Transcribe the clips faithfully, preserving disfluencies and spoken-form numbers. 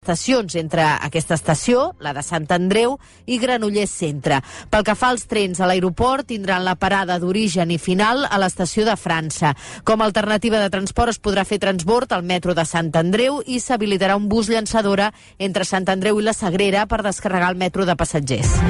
estacions entre aquesta estació, la de Sant Andreu, i Granollers Centre. Pel que fa als trens a l'aeroport, tindran la parada d'origen i final a l'estació de França. Com a alternativa de transport es podrà fer transbord al metro de Sant Andreu i s'habilitarà un bus llançadora entre Sant Andreu i la Sagrera per descarregar el metro de passatgers.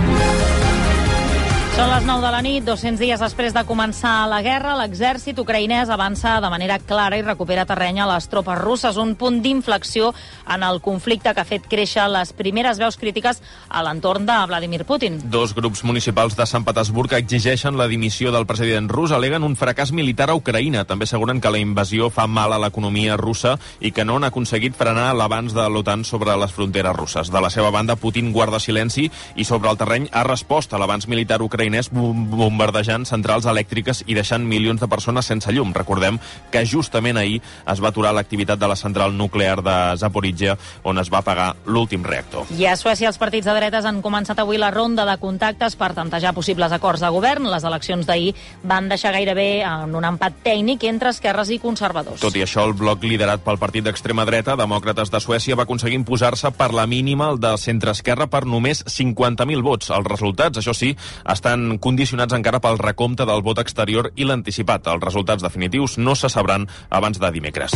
Són les nou de la nit, dos-cents dies després de començar la guerra, l'exèrcit ucraïnès avança de manera clara i recupera terreny a les tropes russes, un punt d'inflexió en el conflicte que ha fet créixer les primeres veus crítiques a l'entorn de Vladimir Putin. Dos grups municipals de Sant Petersburg exigeixen la dimissió del president rus, aleguen un fracàs militar a Ucraïna. També asseguren que la invasió fa mal a l'economia russa i que no han aconseguit frenar l'avanç de l'OTAN sobre les fronteres russes. De la seva banda, Putin guarda silenci i sobre el terreny ha respost a l'avanç militar ucraïnès bombardejant centrals elèctriques i deixant milions de persones sense llum. Recordem que justament ahir es va aturar l'activitat de la central nuclear de Zaporizhia, on es va apagar l'últim reactor. I a Suècia els partits de dretes han començat avui la ronda de contactes per tantejar possibles acords de govern. Les eleccions d'ahir van deixar gairebé en un empat tècnic entre esquerres i conservadors. Tot i això, el bloc liderat pel partit d'extrema dreta, Demòcrates de Suècia, va aconseguir imposar-se per la mínima el de centre-esquerra per només cinquanta mil vots. Els resultats, això sí, estan condicionats encara pel recompte del vot exterior i l'anticipat. Els resultats definitius no se sabran abans de dimecres.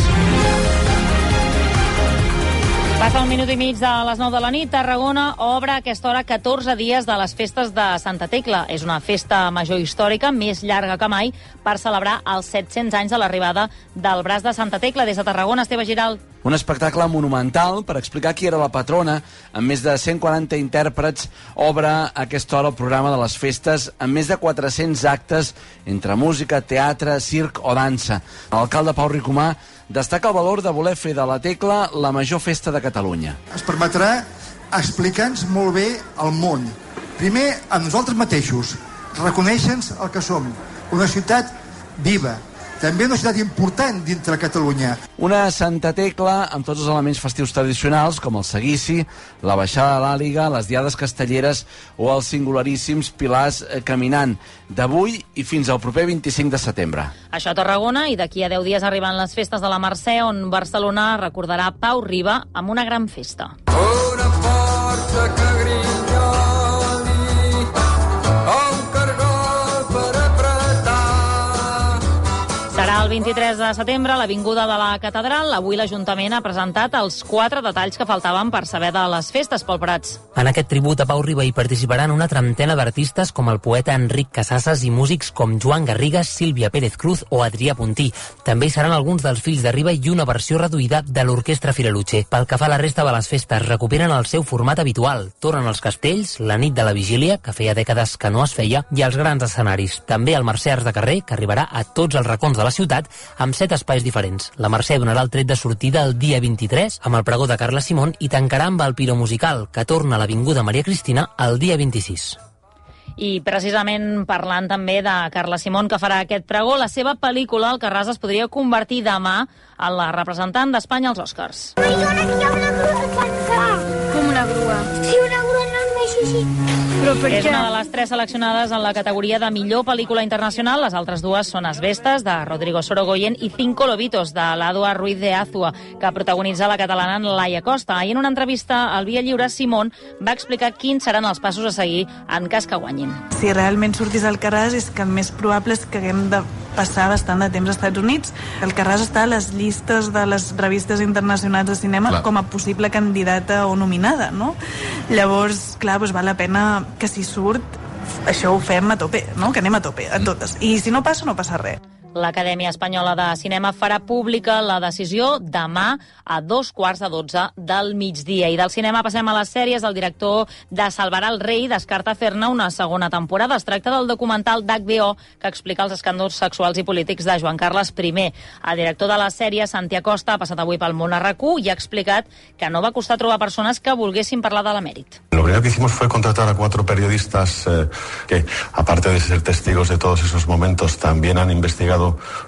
Passa un minut i mig de les nou de la nit. Tarragona obre a aquesta hora catorze dies de les festes de Santa Tecla. És una festa major històrica, més llarga que mai, per celebrar els set-cents anys de l'arribada del braç de Santa Tecla. Des de Tarragona, Esteve Giral. Un espectacle monumental per explicar qui era la patrona. Amb més de cent quaranta intèrprets obre a aquesta hora el programa de les festes amb més de quatre-cents actes entre música, teatre, circ o dansa. L'alcalde Pau Ricomà destaca el valor de voler fer de la Tecla la major festa de Catalunya. Es permetrà explicar-nos molt bé el món. Primer, a nosaltres mateixos, reconèixer-nos el que som, una ciutat viva, també una ciutat important dintre Catalunya. Una Santa Tecla amb tots els elements festius tradicionals, com el seguici, la baixada de l'Àliga, les diades castelleres o els singularíssims pilars caminant, d'avui i fins al proper vint-i-cinc de setembre. Això a Tarragona, i d'aquí a deu dies arriben les festes de la Mercè, on Barcelona recordarà Pau Riba amb una gran festa. Una força que grinyoli, un cargol per apretar. Serà el vint-i-tres de setembre a l'Avinguda de la Catedral. Avui l'Ajuntament ha presentat els quatre detalls que faltaven per saber de les festes, Pol Prats. En aquest tribut a Pau Riba hi participaran una trentena d'artistes com el poeta Enric Casasses i músics com Joan Garrigues, Sílvia Pérez Cruz o Adrià Puntí. També hi seran alguns dels fills de Riba i una versió reduïda de l'Orquestra Firaluche. Pel que fa a la resta de les festes, recuperen el seu format habitual. Tornen els castells, la nit de la vigília, que feia dècades que no es feia, i els grans escenaris. També el Mercè Arts de Carrer, que arribarà a tots els racons de la ciutat amb set espais diferents. La Mercè donarà el tret de sortida el dia vint-i-tres amb el pregó de Carla Simón i tancarà amb el Piro Musical, que torna a l'Avinguda Maria Cristina el dia vint-i-sis. I precisament parlant també de Carla Simón, que farà aquest pregó, la seva pel·lícula Alcarràs es podria convertir demà en la representant d'Espanya als Oscars. Ai, dona, que hi ha una grua al cantó. Com una grua? Sí, una grua no em deixa així. Però per És què? una de les tres seleccionades en la categoria de millor pel·lícula internacional. Les altres dues són Asbestas, de Rodrigo Sorogoyen, i Cinco Lobitos, de l'Adua Ruiz de Azua, que protagonitza la catalana Laia Costa. I en una entrevista al Via Lliure, Simón va explicar quins seran els passos a seguir en cas que guanyin. Si realment sortís Alcarràs és que el més probable és que haguem de passar bastant de temps als Estats Units. Alcarràs està a les llistes de les revistes internacionals de cinema clar. Com a possible candidata o nominada, no? Llavors, clar, doncs val la pena que si surt això ho fem a tope, no? Que anem a tope, a totes. I si no passa, no passa res. L'Acadèmia Espanyola de Cinema farà pública la decisió demà a dos quarts de dotze del migdia. I del cinema passem a les sèries. El director de Salvarà el rei descarta fer-ne una segona temporada. Es tracta del documental d'H B O que explica els escàndols sexuals i polítics de Joan Carles I. El director de la sèrie, Santi Acosta, ha passat avui pel món a RAC u i ha explicat que no va costar trobar persones que volguessin parlar de l'emèrit. Lo primero que hicimos fue contratar a cuatro periodistas eh, que, aparte de ser testigos de todos esos momentos, también han investigado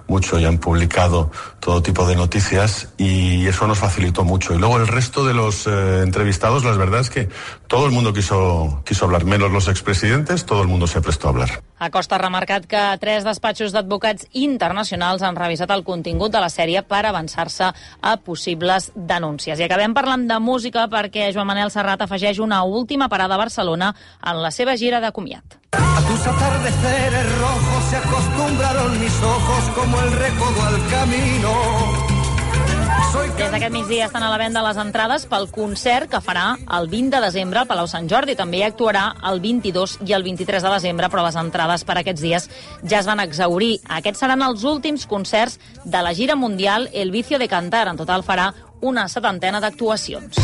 mucho y han publicado todo tipo de noticias y eso nos facilitó mucho. Y luego el resto de los eh, entrevistados, la verdad es que todo el mundo quiso, quiso hablar, menos los expresidentes, todo el mundo se prestó a hablar. Acosta ha remarcat que tres despatxos d'advocats internacionals han revisat el contingut de la sèrie per avançar-se a possibles denúncies. I acabem parlant de música perquè Joan Manel Serrat afegeix una última parada a Barcelona en la seva gira de comiat. A tus atardeceres rojos se acostumbraron mis ojos como el recodo al camino. Des d'aquest migdia estan a la venda les entrades pel concert que farà el vint de desembre al Palau Sant Jordi. També hi actuarà el vint-i-dos i el vint-i-tres de desembre, però les entrades per aquests dies ja es van exhaurir. Aquests seran els últims concerts de la gira mundial El Vicio de Cantar. En total farà una setantena d'actuacions.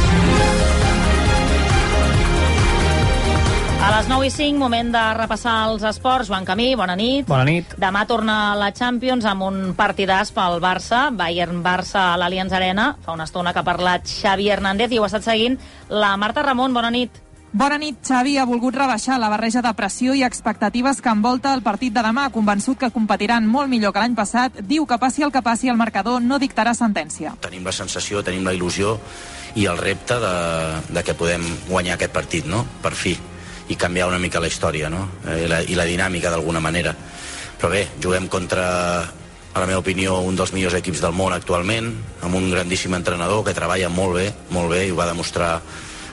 A les nou i cinc, moment de repassar els esports. Joan Camí, bona nit. Bona nit. Demà torna la Champions amb un partidàs pel Barça, Bayern-Barça a l'Allianz Arena. Fa una estona que ha parlat Xavi Hernández i ho ha estat seguint la Marta Ramon. Bona nit. Bona nit. Xavi ha volgut rebaixar la barreja de pressió i expectatives que envolta el partit de demà. Convençut que competiran molt millor que l'any passat, diu que passi el que passi, el marcador no dictarà sentència. Tenim la sensació, tenim la il·lusió i el repte de, de que podem guanyar aquest partit, no? Per fi. I canviar una mica la història, no? I la, i la dinàmica d'alguna manera. Però bé, juguem contra, a la meva opinió, un dels millors equips del món actualment, amb un grandíssim entrenador que treballa molt bé, molt bé, i ho va demostrar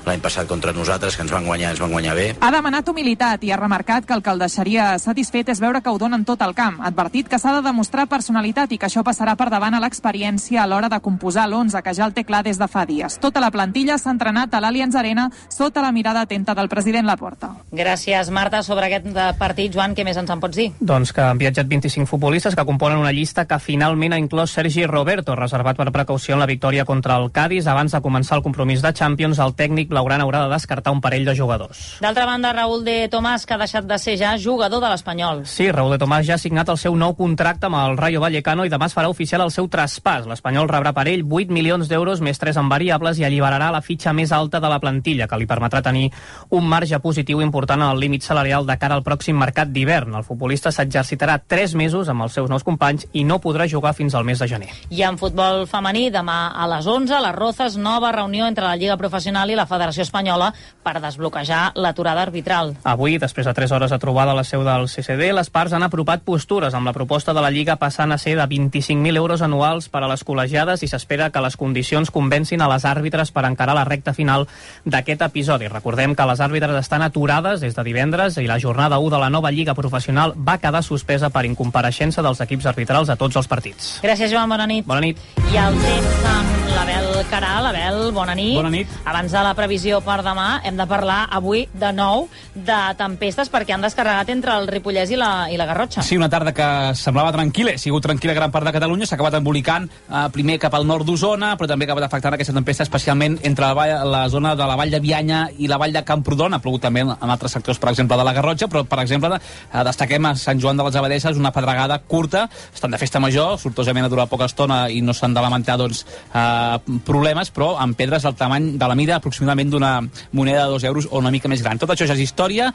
l'any passat contra nosaltres, que ens van guanyar, ens van guanyar bé. Ha demanat humilitat i ha remarcat que el que el deixaria satisfet és veure que ho donen tot al camp. Ha advertit que s'ha de demostrar personalitat i que això passarà per davant a l'experiència a l'hora de composar l'onze, que ja el té clar des de fa dies. Tota la plantilla s'ha entrenat a l'Allianz Arena sota la mirada atenta del president Laporta. Gràcies, Marta. Sobre aquest partit, Joan, què més ens en pots dir? Doncs que han viatjat vint-i-cinc futbolistes que componen una llista que finalment ha inclòs Sergi Roberto, reservat per precaució en la victòria contra el Cádiz. Abans de començar el compromís de Champions, el tècnic Blaugrana haurà de descartar un parell de jugadors. D'altra banda, Raúl de Tomàs, que ha deixat de ser ja jugador de l'Espanyol. Sí, Raúl de Tomàs ja ha signat el seu nou contracte amb el Rayo Vallecano i demà es farà oficial el seu traspàs. L'Espanyol rebrà per ell vuit milions d'euros més tres en variables i alliberarà la fitxa més alta de la plantilla, que li permetrà tenir un marge positiu important en el límit salarial de cara al pròxim mercat d'hivern. El futbolista s'exercitarà tres mesos amb els seus nous companys i no podrà jugar fins al mes de gener. I en futbol femení, demà a les onze, les Rozas, nova reunió entre la Lliga Professional i la Federació Espanyola per desbloquejar l'aturada arbitral. Avui, després de tres hores de trobada a la seu del C C D, les parts han apropat postures amb la proposta de la Lliga passant a ser de vint-i-cinc mil euros anuals per a les col·legiades i s'espera que les condicions convencin a les àrbitres per encarar la recta final d'aquest episodi. Recordem que les àrbitres estan aturades des de divendres i la jornada u de la nova Lliga Professional va quedar suspesa per incompareixença dels equips arbitrals a tots els partits. Gràcies, Joan. Bona nit. Bona nit. I el temps amb l'Abel Caral. Abel, bona nit. Bona nit. Abans de la previsió per demà, hem de parlar avui de nou de tempestes perquè han descarregat entre el Ripollès i la, i la Garrotxa. Sí, una tarda que semblava tranquil·la, ha sigut tranquil·la gran part de Catalunya, s'ha acabat embolicant eh, primer cap al nord d'Osona, però també ha acabat afectant aquesta tempesta especialment entre la, vall, la zona de la vall de Bianya i la vall de Camprodon. Ha plogut també en altres sectors, per exemple, de la Garrotxa, però, per exemple, eh, destaquem a Sant Joan de les Abadesses una pedregada curta, estan de festa major, sortosament ha durat poca estona i no s'han de lamentar doncs, eh, problemes, però amb pedres del tamany de la mida aproximadament d'una moneda de dos euros o una mica més gran. Tot això ja és història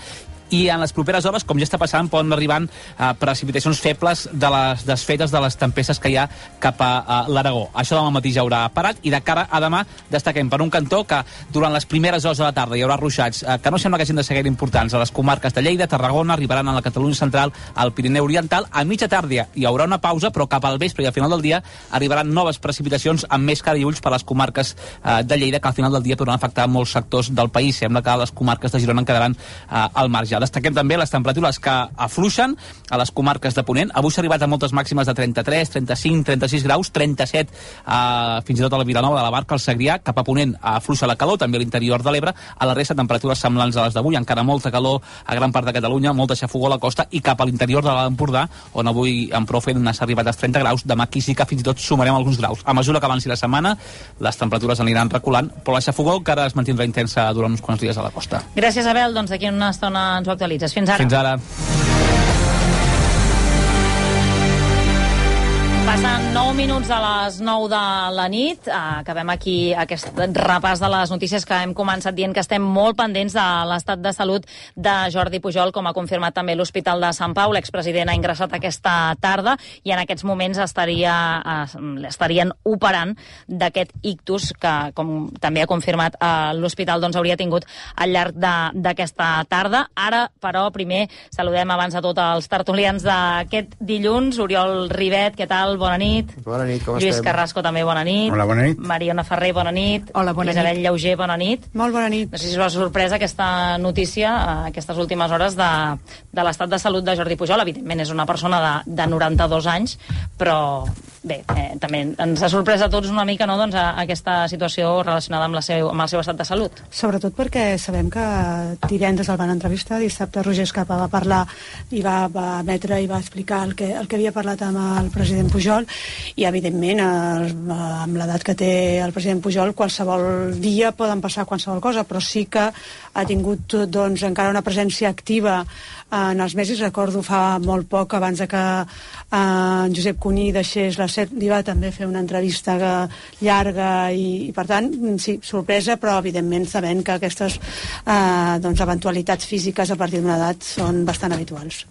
i en les properes hores, com ja està passant, poden arribar a precipitacions febles de les desfetes de les tempestes que hi ha cap a, a l'Aragó. Això demà matí ja haurà parat i de cara a demà destaquem per un cantó que durant les primeres hores de la tarda hi haurà ruixats eh, que no sembla que hagin de ser gaire importants a les comarques de Lleida, Tarragona, arribaran a la Catalunya central, al Pirineu Oriental. A mitja tarda hi haurà una pausa, però cap al vespre i al final del dia arribaran noves precipitacions amb més cara i ulls per a les comarques eh, de Lleida, que al final del dia podran afectar molts sectors del país. Sembla que les comarques de Girona quedaran eh, al marge. Destaquem també les temperatures que afluixen a les comarques de Ponent. Avui s'ha arribat a moltes màximes de trenta-tres, trenta-cinc, trenta-sis graus, trenta-set eh, fins i tot a la Vilanova de la Barca, al Segrià. Cap a Ponent afluixa la calor, també a l'interior de l'Ebre. A la resta, temperatures semblants a les d'avui, encara molta calor a gran part de Catalunya, molta xafogó a la costa i cap a l'interior de l'Empordà, on avui en prou feina s'ha arribat als trenta graus. Demà aquí sí que fins i tot sumarem alguns graus. A mesura que avanci la setmana, les temperatures aniran reculant, però la xafogó encara es mantindrà intensa durant uns quants dies a la costa. Gràcies, Abel. Doncs d'aquí una estona ens ho actualitzes. Fins ara. Fins ara. Passen nou minuts a les nou de la nit. Acabem aquí aquest repàs de les notícies que hem començat dient que estem molt pendents de l'estat de salut de Jordi Pujol, com ha confirmat també l'Hospital de Sant Pau. L'expresident ha ingressat aquesta tarda i en aquests moments estaria, estarien operant d'aquest ictus que, com també ha confirmat l'Hospital, doncs hauria tingut al llarg d'aquesta tarda. Ara, però, primer saludem abans de tot els tertulians d'aquest dilluns. Oriol Ribet, què tal? Bona nit. Bona nit, com Lluís estem? Carrasco, també bona nit. Hola, bona nit. Mariona Ferrer, bona nit. Hola, bona Isabel nit. Llauger, bona nit. Molt bona nit. No sé si us va sorpresa aquesta notícia, aquestes últimes hores, de, de l'estat de salut de Jordi Pujol. Evidentment és una persona de, de noranta-dos anys, però bé, eh, també ens ha sorprès a tots una mica, no?, doncs, a, a aquesta situació relacionada amb, la seu, amb el seu estat de salut. Sobretot perquè sabem que divendres el van entrevistar, dissabte Roger Escapa va parlar i va, va emetre i va explicar el que, el que havia parlat amb el president Pujol, i evidentment el, amb l'edat que té el president Pujol qualsevol dia poden passar qualsevol cosa, però sí que ha tingut doncs encara una presència activa en els mesos. Recordo fa molt poc, abans de que eh, en Josep Cuní deixés la SER, li va també fer una entrevista llarga i, i per tant, sí, sorpresa, però evidentment sabent que aquestes eh, doncs, eventualitats físiques a partir d'una edat són bastant habituals.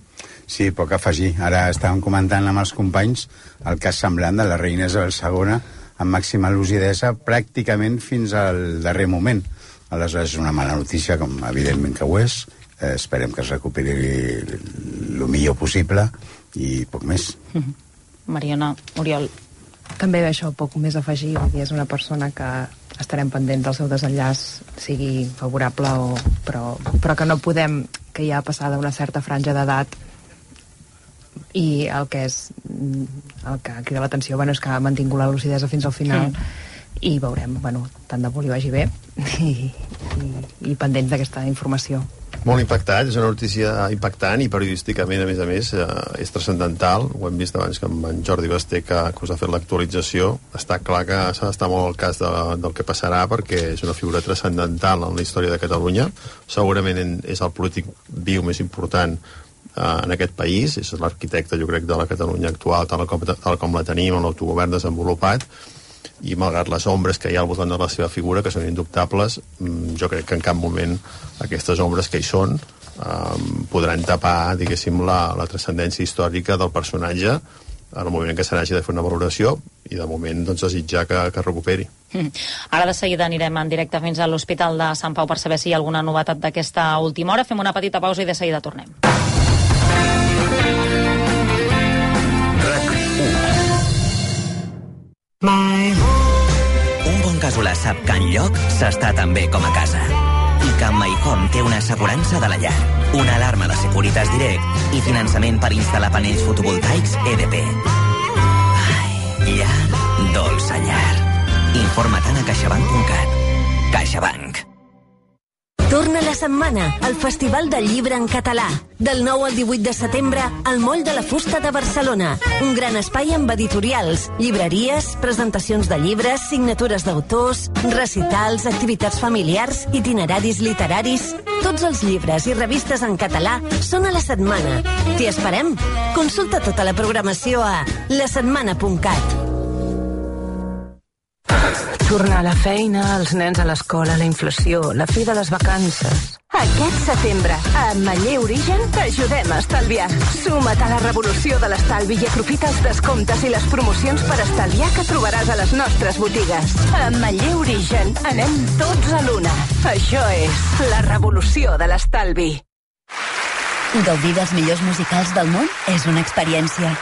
Sí, poc a afegir. Ara estàvem comentant amb els companys el cas semblant de la reina Isabel segona amb màxima lucidesa pràcticament fins al darrer moment. Aleshores és una mala notícia, com evidentment que ho és. Eh, esperem que es recuperi el millor possible i poc més. Mm-hmm. Mariona, Oriol. També això, poc més a afegir. Vull dir, és una persona que estarem pendents del seu desenllaç, sigui favorable o... Però, però que no podem, que ja ha passat una certa franja d'edat, i el que és el que crida l'atenció, bueno, és que ha mantingut la lucidesa fins al final, mm. i veurem, bueno, tant de bo li vagi bé i, i, i pendents d'aquesta informació. Molt impactat, és una notícia impactant i periodísticament, a més a més, eh, és transcendental. Ho hem vist abans que amb en Jordi Basté, que, que us ha fet l'actualització. Està clar que s'ha d'estar molt al cas de, del que passarà, perquè és una figura transcendental en la història de Catalunya. Segurament és el polític viu més important en aquest país, és l'arquitecte, jo crec, de la Catalunya actual, tal com, tal com la tenim, amb l'autogovern desenvolupat, i malgrat les ombres que hi ha al voltant de la seva figura, que són indubtables, jo crec que en cap moment aquestes ombres que hi són eh, podran tapar, diguéssim, la, la transcendència històrica del personatge en el moment en què se n'hagi de fer una valoració, i de moment doncs, desitjar que, que recuperi. Mm. Ara de seguida anirem en directe fins a l'Hospital de Sant Pau per saber si hi ha alguna novetat d'aquesta última hora. Fem una petita pausa i de seguida tornem. Un bon casolà sap que enlloc s'està tan bé com a casa. I que amb MyHome té una assegurança de la llar, una alarma de Securitas Direct i finançament per instal·lar panells fotovoltaics E D P. Ai, llar, dolça llar. Informa-te'n a caixabank punt cat. CaixaBank. Torna la setmana, al Festival del Llibre en Català. Del nou al divuit de setembre, al Moll de la Fusta de Barcelona. Un gran espai amb editorials, llibreries, presentacions de llibres, signatures d'autors, recitals, activitats familiars, itineraris literaris... Tots els llibres i revistes en català són a la setmana. T'hi esperem? Consulta tota la programació a la setmana punt cat. Tornar a la feina, els nens a l'escola, la inflació, la fi de les vacances... Aquest setembre, a Ametller Origen, t'ajudem a estalviar. Suma't a la revolució de l'estalvi i aprofita els descomptes i les promocions per estalviar que trobaràs a les nostres botigues. A Ametller Origen, anem tots a l'una. Això és la revolució de l'estalvi. Gaudir dels millors musicals del món és una experiència.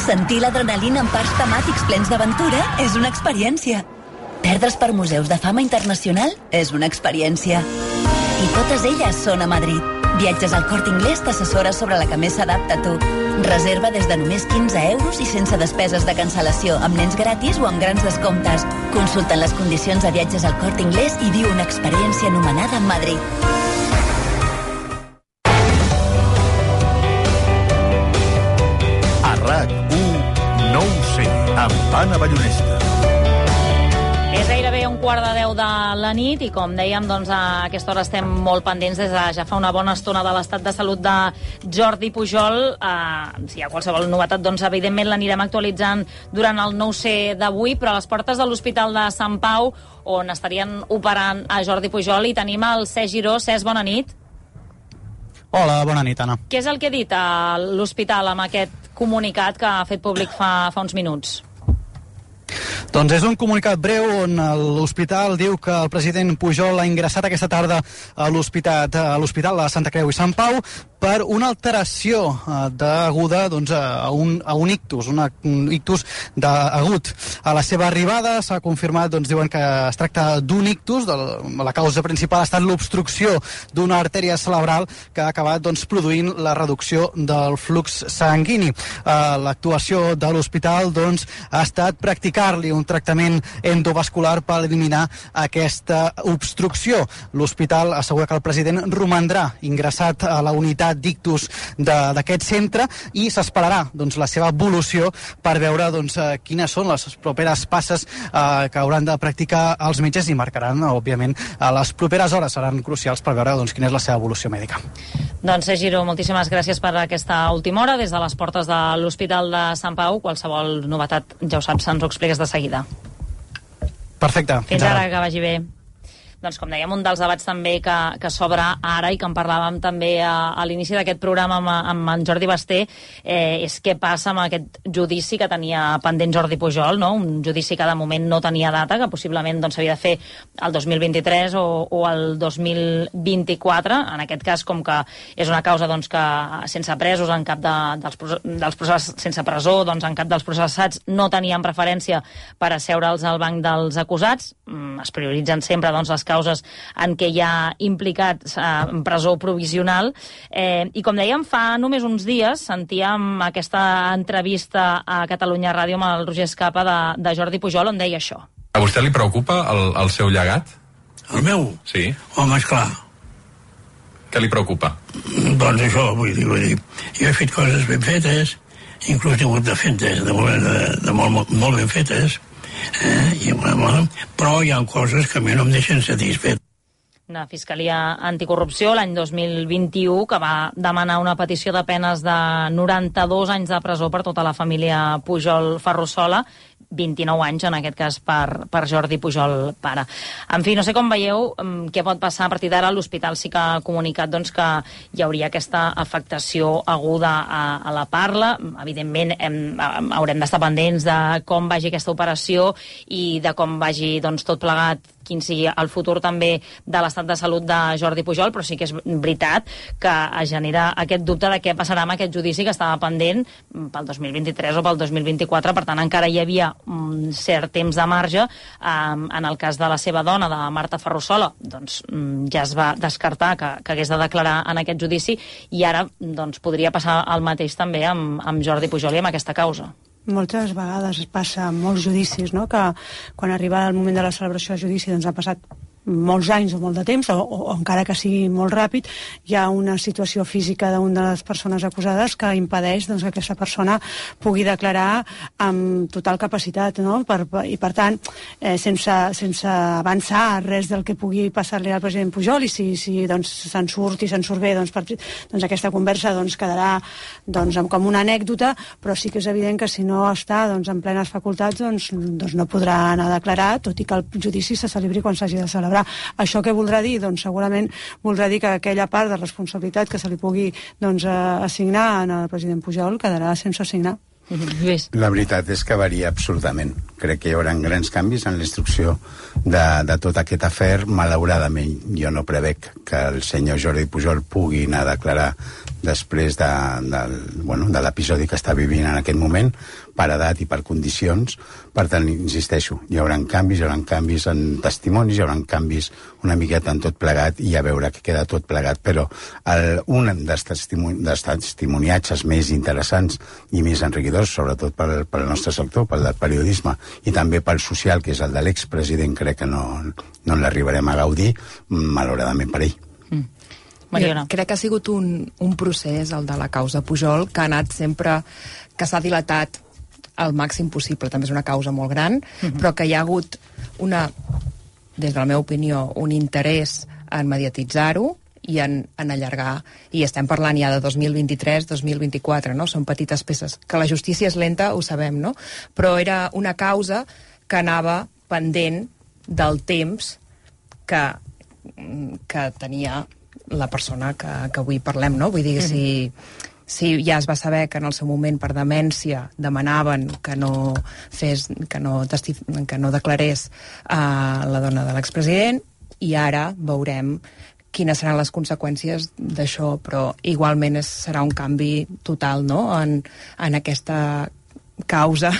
Sentir l'adrenalina en parcs temàtics plens d'aventura és una experiència. Perdre's per museus de fama internacional és una experiència. I totes elles són a Madrid. Viatges al Corte Inglés t'assessora sobre la que més s'adapta a tu. Reserva des de només quinze euros i sense despeses de cancel·lació, amb nens gratis o amb grans descomptes. Consulta les condicions de viatges al Corte Inglés i viu una experiència anomenada Madrid. A RAC u, no ho sé, amb Anna Ballonesta. És gairebé un quart de deu de la nit i, com dèiem, doncs, a aquesta hora estem molt pendents des de ja fa una bona estona de l'estat de salut de Jordi Pujol. Eh, si hi ha qualsevol novetat, doncs, evidentment l'anirem actualitzant durant el nou ce d'avui, però a les portes de l'Hospital de Sant Pau, on estarien operant a Jordi Pujol, i tenim el Cesc Giró. Cesc, bona nit. Hola, bona nit, Anna. Què és el que ha dit a l'hospital amb aquest comunicat que ha fet públic fa, fa uns minuts? Doncs és un comunicat breu on l'hospital diu que el president Pujol ha ingressat aquesta tarda a l'hospital a l'Hospital de Santa Creu i Sant Pau per una alteració eh, deguda doncs, a, un, a un ictus, una, un ictus de, agut. A la seva arribada s'ha confirmat, doncs, diuen que es tracta d'un ictus, de la causa principal ha estat l'obstrucció d'una artèria cerebral que ha acabat doncs, produint la reducció del flux sanguini. Eh, L'actuació de l'hospital doncs, ha estat practicar-li un tractament endovascular per eliminar aquesta obstrucció. L'hospital assegura que el president romandrà ingressat a la unitat d'ictus d'aquest centre i s'esperarà doncs, la seva evolució per veure doncs, quines són les properes passes eh, que hauran de practicar els metges i marcaran, òbviament, a les properes hores seran crucials per veure doncs, quina és la seva evolució mèdica. Doncs, Cesc Giró, moltíssimes gràcies per aquesta última hora des de les portes de l'Hospital de Sant Pau. Qualsevol novetat, ja ho saps, ens ho expliques de seguida. Perfecte. Fins, Fins ara, ara, que vagi bé. Doncs, com dèiem, un dels debats també que, que s'obre ara i que en parlàvem també a, a l'inici d'aquest programa amb, amb en Jordi Basté, eh, és què passa amb aquest judici que tenia pendent Jordi Pujol, no? Un judici que de moment no tenia data, que possiblement doncs, s'havia de fer el dos mil vint-i-tres o, o el dos mil vint-i-quatre. En aquest cas, com que és una causa doncs, que sense presos en cap de, dels, dels processos, sense presó, doncs, en cap dels processats no tenien preferència per asseure'ls al banc dels acusats. Es prioritzen sempre doncs, les causes en què hi ha implicats eh, en presó provisional. Eh, I com dèiem, fa només uns dies sentíem aquesta entrevista a Catalunya Ràdio amb el Roger Escapa de, de Jordi Pujol, on deia això. A vostè li preocupa el, el seu llegat? El meu? Sí. Home, esclar. Què li preocupa? Doncs això, vull dir, vull dir, jo he fet coses ben fetes, inclús he hagut de fer de, de, de, de molt, molt, molt ben fetes, Eh, i, bueno, però hi ha coses que a mi no em deixen satisfet. Una Fiscalia Anticorrupció l'any dos mil vint-i-u que va demanar una petició de penes de noranta-dos anys de presó per tota la família Pujol Ferrusola, vint-i-nou anys en aquest cas per, per Jordi Pujol pare. En fi, no sé com veieu què pot passar a partir d'ara. L'hospital sí que ha comunicat doncs, que hi hauria aquesta afectació aguda a, a la parla. Evidentment hem, haurem d'estar pendents de com vagi aquesta operació i de com vagi doncs, tot plegat, quin sigui el futur també de l'estat de salut de Jordi Pujol, però sí que és veritat que es genera aquest dubte de què passarà amb aquest judici que estava pendent pel dos mil vint-i-tres o pel dos mil vint-i-quatre. Per tant, encara hi havia un cert temps de marge. Um, en el cas de la seva dona, de Marta Ferrusola, doncs um, ja es va descartar que, que hagués de declarar en aquest judici, i ara doncs, podria passar el mateix també amb, amb Jordi Pujol i amb aquesta causa. Moltes vegades es passa en molts judicis, no? Que quan arriba el moment de la celebració del judici doncs ha passat molts anys o molt de temps, o, o encara que sigui molt ràpid, hi ha una situació física d'una de les persones acusades que impedeix doncs, que aquesta persona pugui declarar amb total capacitat, no? Per, per, i per tant, eh, sense, sense avançar res del que pugui passar-li al president Pujol, i si, si doncs, se'n surt i se'n surt bé, doncs, per, doncs aquesta conversa doncs, quedarà doncs, com una anècdota, però sí que és evident que si no està doncs, en plenes facultats doncs, doncs no podrà anar a declarar, tot i que el judici se celebri quan s'hagi de celebrar. Això què voldrà dir? Doncs segurament voldrà dir que aquella part de responsabilitat que se li pugui doncs, assignar al president Pujol quedarà sense assignar. La veritat és que varia absurdament. Crec que hi haurà grans canvis en la instrucció de, de tot aquest afer. Malauradament, jo no prevec que el senyor Jordi Pujol pugui anar a declarar després de, de, bueno, de l'episodi que està vivint en aquest moment, per edat i per condicions. Per tant, insisteixo, hi haurà canvis, hi haurà canvis en testimonis, hi haurà canvis una miqueta en tot plegat, i a veure que queda tot plegat. Però el, un dels, testimoni, dels testimoniatges més interessants i més enriquidors, sobretot pel, pel nostre sector, pel del periodisme, i també pel social, que és el de l'expresident, crec que no, no l'arribarem a gaudir, malauradament per ell. Mm. Mariona. Crec que ha sigut un, un procés, el de la causa Pujol, que ha anat sempre, que s'ha dilatat al màxim possible. També és una causa molt gran, uh-huh. però que hi ha hagut una des de la meva opinió, un interès en mediatitzar-ho i en, en allargar, i estem parlant ja de dos mil vint-i-tres, dos mil vint-i-quatre, no? Són petites peces. Que la justícia és lenta, ho sabem, no? Però era una causa que anava pendent del temps que, que tenia la persona que, que avui parlem, no? Vull dir, mm-hmm. si... Si ja es va saber que en el seu moment per demència demanaven que no fes, que no, testif, que no declarés a la dona de l'expresident, i ara veurem quines seran les conseqüències d'això, però igualment és, serà un canvi total, no?, en, en aquesta causa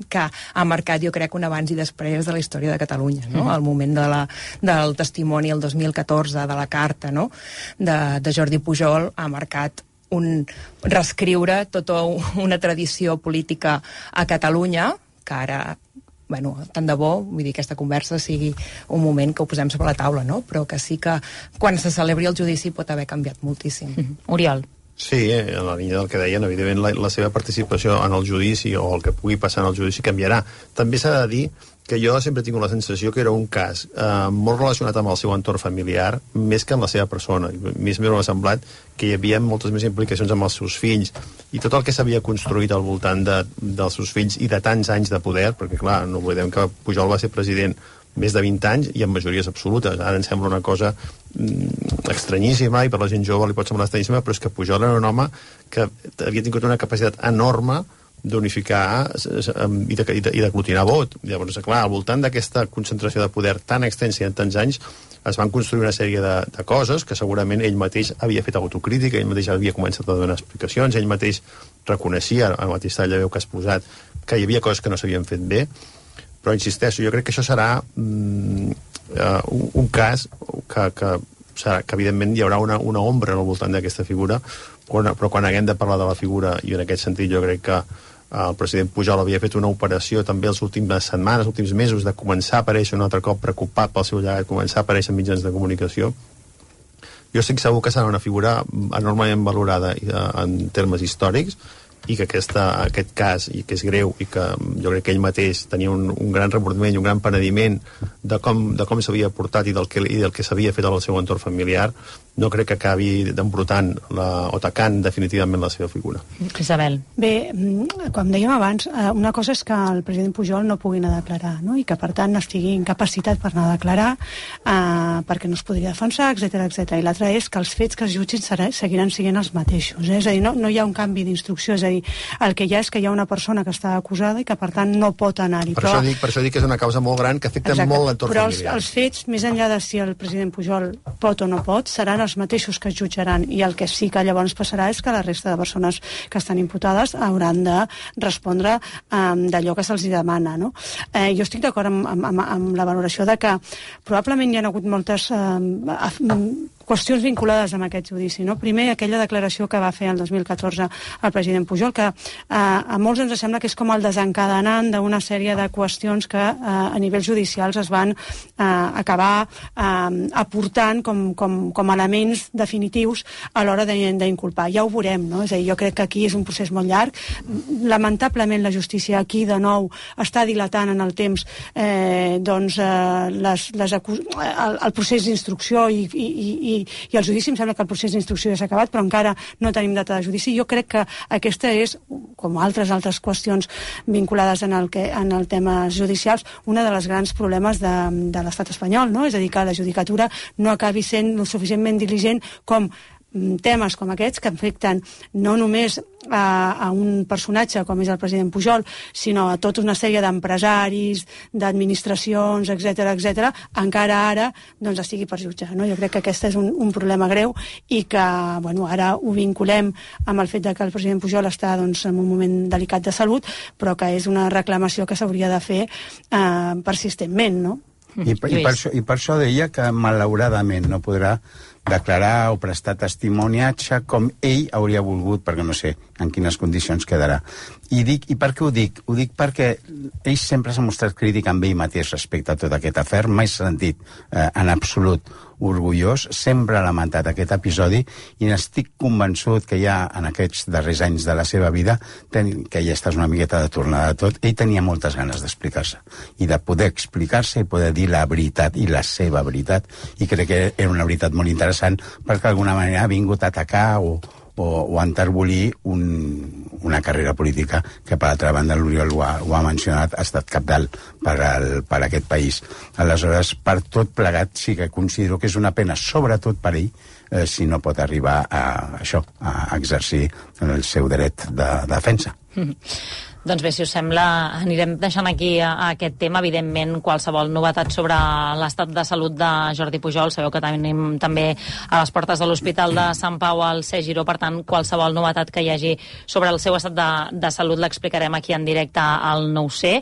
que ha marcat, jo crec, un abans i després de la història de Catalunya, no? Mm. El moment de la, del testimoni el dos mil catorze, de la carta, no?, de, de Jordi Pujol, ha marcat un reescriure tota una tradició política a Catalunya, que ara, bueno, tant de bo, vull dir, aquesta conversa sigui un moment que ho posem sobre la taula, no? Però que sí que quan se celebri el judici pot haver canviat moltíssim. Mm-hmm. Oriol. Sí, en la línia del que deien, evidentment la, la seva participació en el judici o el que pugui passar en el judici canviarà. També s'ha de dir que jo sempre tinc la sensació que era un cas eh, molt relacionat amb el seu entorn familiar, més que amb la seva persona. Més m'ha semblat que hi havia moltes més implicacions amb els seus fills, i tot el que s'havia construït al voltant de, dels seus fills i de tants anys de poder, perquè clar, no oblidem que Pujol va ser president més de vint anys i amb majories absolutes. Ara em sembla una cosa mm, estranyíssima, i per la gent jove li pot semblar estranyíssima, però és que Pujol era un home que havia tingut una capacitat enorme d'unificar i de, i de, i d'aglutinar vot. Llavors, clar, al voltant d'aquesta concentració de poder tan extensa i en tants anys es van construir una sèrie de, de coses que segurament ell mateix havia fet autocrítica, ell mateix havia començat a donar explicacions, ell mateix reconeixia, al mateix tall de veu que has posat, que hi havia coses que no s'havien fet bé, però insisteixo, jo crec que això serà mm, uh, un, un cas que, que, serà, que evidentment hi haurà una, una ombra al voltant d'aquesta figura, però, però quan haguem de parlar de la figura, i en aquest sentit jo crec que el president Pujol havia fet una operació també les últimes setmanes, els últims mesos, de començar a aparèixer un altre cop preocupat pel seu llegat, començar a aparèixer en mitjans de comunicació. Jo estic segur que serà una figura enormement valorada en termes històrics, i que aquesta, aquest cas, i que és greu, i que jo crec que ell mateix tenia un, un gran remordiment i un gran penediment de com, de com s'havia portat i del que, i del que s'havia fet al seu entorn familiar, no crec que acabi d'embrutant la, o tacant definitivament la seva figura. Isabel. Bé, com dèiem abans, una cosa és que el president Pujol no pugui anar a declarar, no? I que per tant estigui incapacitat per anar a declarar eh, perquè no es podria defensar, etcètera, etcètera. I l'altra és que els fets que es jutgin serà, seguiran sent els mateixos. Eh? És a dir, no, no hi ha un canvi d'instrucció, és a dir, el que hi ha és que hi ha una persona que està acusada i que per tant no pot anar-hi. Per, però... això dic, per això dic que és una causa molt gran que afecta Exacte. Molt l'entorn però familiar. Però els, els fets, més enllà de si el president Pujol pot o no pot, seran els mateixos que es jutjaran, i el que sí que llavors passarà és que la resta de persones que estan imputades hauran de respondre um, d'allò que se'ls demana, no? Eh, jo estic d'acord amb, amb, amb la valoració de que probablement hi ha hagut moltes um, qüestions vinculades amb aquest judici, no? Primer, aquella declaració que va fer el dos mil catorze el president Pujol, que eh, a molts ens sembla que és com el desencadenant d'una sèrie de qüestions que eh, a nivells judicials es van eh, acabar eh, aportant com, com, com elements definitius a l'hora d'inculpar. Ja ho veurem, no? És a dir, jo crec que aquí és un procés molt llarg. Lamentablement la justícia aquí de nou està dilatant en el temps eh, doncs, eh, les, les acu... el, el procés d'instrucció i, i, i I, i el judici. Em sembla que el procés d'instrucció ja s'ha acabat, però encara no tenim data de judici. Jo crec que aquesta és, com altres altres qüestions vinculades en el, que, en el temes judicials, una de les grans problemes de, de l'estat espanyol, no? És a dir, que la judicatura no acabi sent lo suficientment diligent com temes com aquests que afecten no només a, a un personatge com és el president Pujol, sinó a tota una sèrie d'empresaris, d'administracions, etcètera, etcètera, encara ara doncs estigui per jutjar, no? Jo crec que aquest és un, un problema greu i que, bueno, ara ho vinculem amb el fet de que el president Pujol està doncs, en un moment delicat de salut, però que és una reclamació que s'hauria de fer eh, persistentment, no? I, i, per això, I per això deia que malauradament no podrà declarar o prestar testimoniatge com ell hauria volgut, perquè no sé en quines condicions quedarà. I, dic, i per què ho dic? Ho dic perquè ell sempre s'ha mostrat crític amb ell mateix respecte a tot aquest afer, mai s'ha sentit eh, en absolut orgullós, sempre ha lamentat aquest episodi i n'estic convençut que ja en aquests darrers anys de la seva vida, ten, que ja estàs una miqueta de tornada de tot, ell tenia moltes ganes d'explicar-se i de poder explicar-se i poder dir la veritat i la seva veritat, i crec que era una veritat molt interessant perquè d'alguna manera ha vingut a atacar o o, o enterbolir un, una carrera política que, per altra banda, l'Oriol ho, ha, ho ha mencionat, ha estat cabdal per, al, per a aquest país. Aleshores, per tot plegat, sí que considero que és una pena, sobretot per ell, eh, si no pot arribar a això, a exercir el seu dret de, de defensa. Mm-hmm. Doncs bé, si us sembla, anirem deixant aquí a, a aquest tema. Evidentment, qualsevol novetat sobre l'estat de salut de Jordi Pujol. Sabeu que tenim també a les portes de l'Hospital de Sant Pau al C. Giró, per tant, qualsevol novetat que hi hagi sobre el seu estat de, de salut l'explicarem aquí en directe al nou C.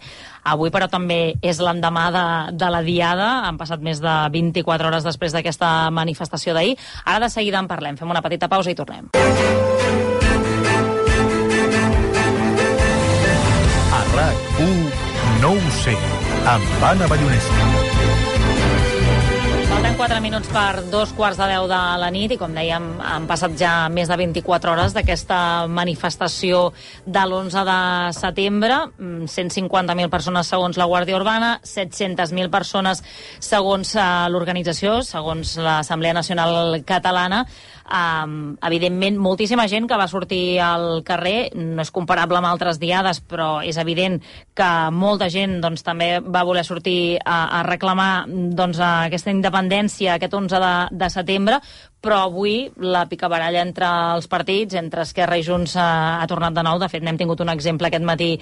Avui, però, també és l'endemà de, de la Diada. Han passat més de vint-i-quatre hores després d'aquesta manifestació d'ahir. Ara de seguida en parlem. Fem una petita pausa i tornem. RAC u nou C amb Anna Ballonesa. Falten quatre minuts per dos quarts de deu de la nit i, com dèiem, han passat ja més de vint-i-quatre hores d'aquesta manifestació de l'onze de setembre. cent cinquanta mil persones segons la Guàrdia Urbana, set-centes mil persones segons l'organització, segons l'Assemblea Nacional Catalana. Um, evidentment, moltíssima gent que va sortir al carrer. No és comparable amb altres diades, però és evident que molta gent doncs, també va voler sortir a, a reclamar doncs, aquesta independència aquest onze de, de setembre, però avui la picabaralla entre els partits, entre Esquerra i Junts, ha, ha tornat de nou. De fet, n'hem tingut un exemple aquest matí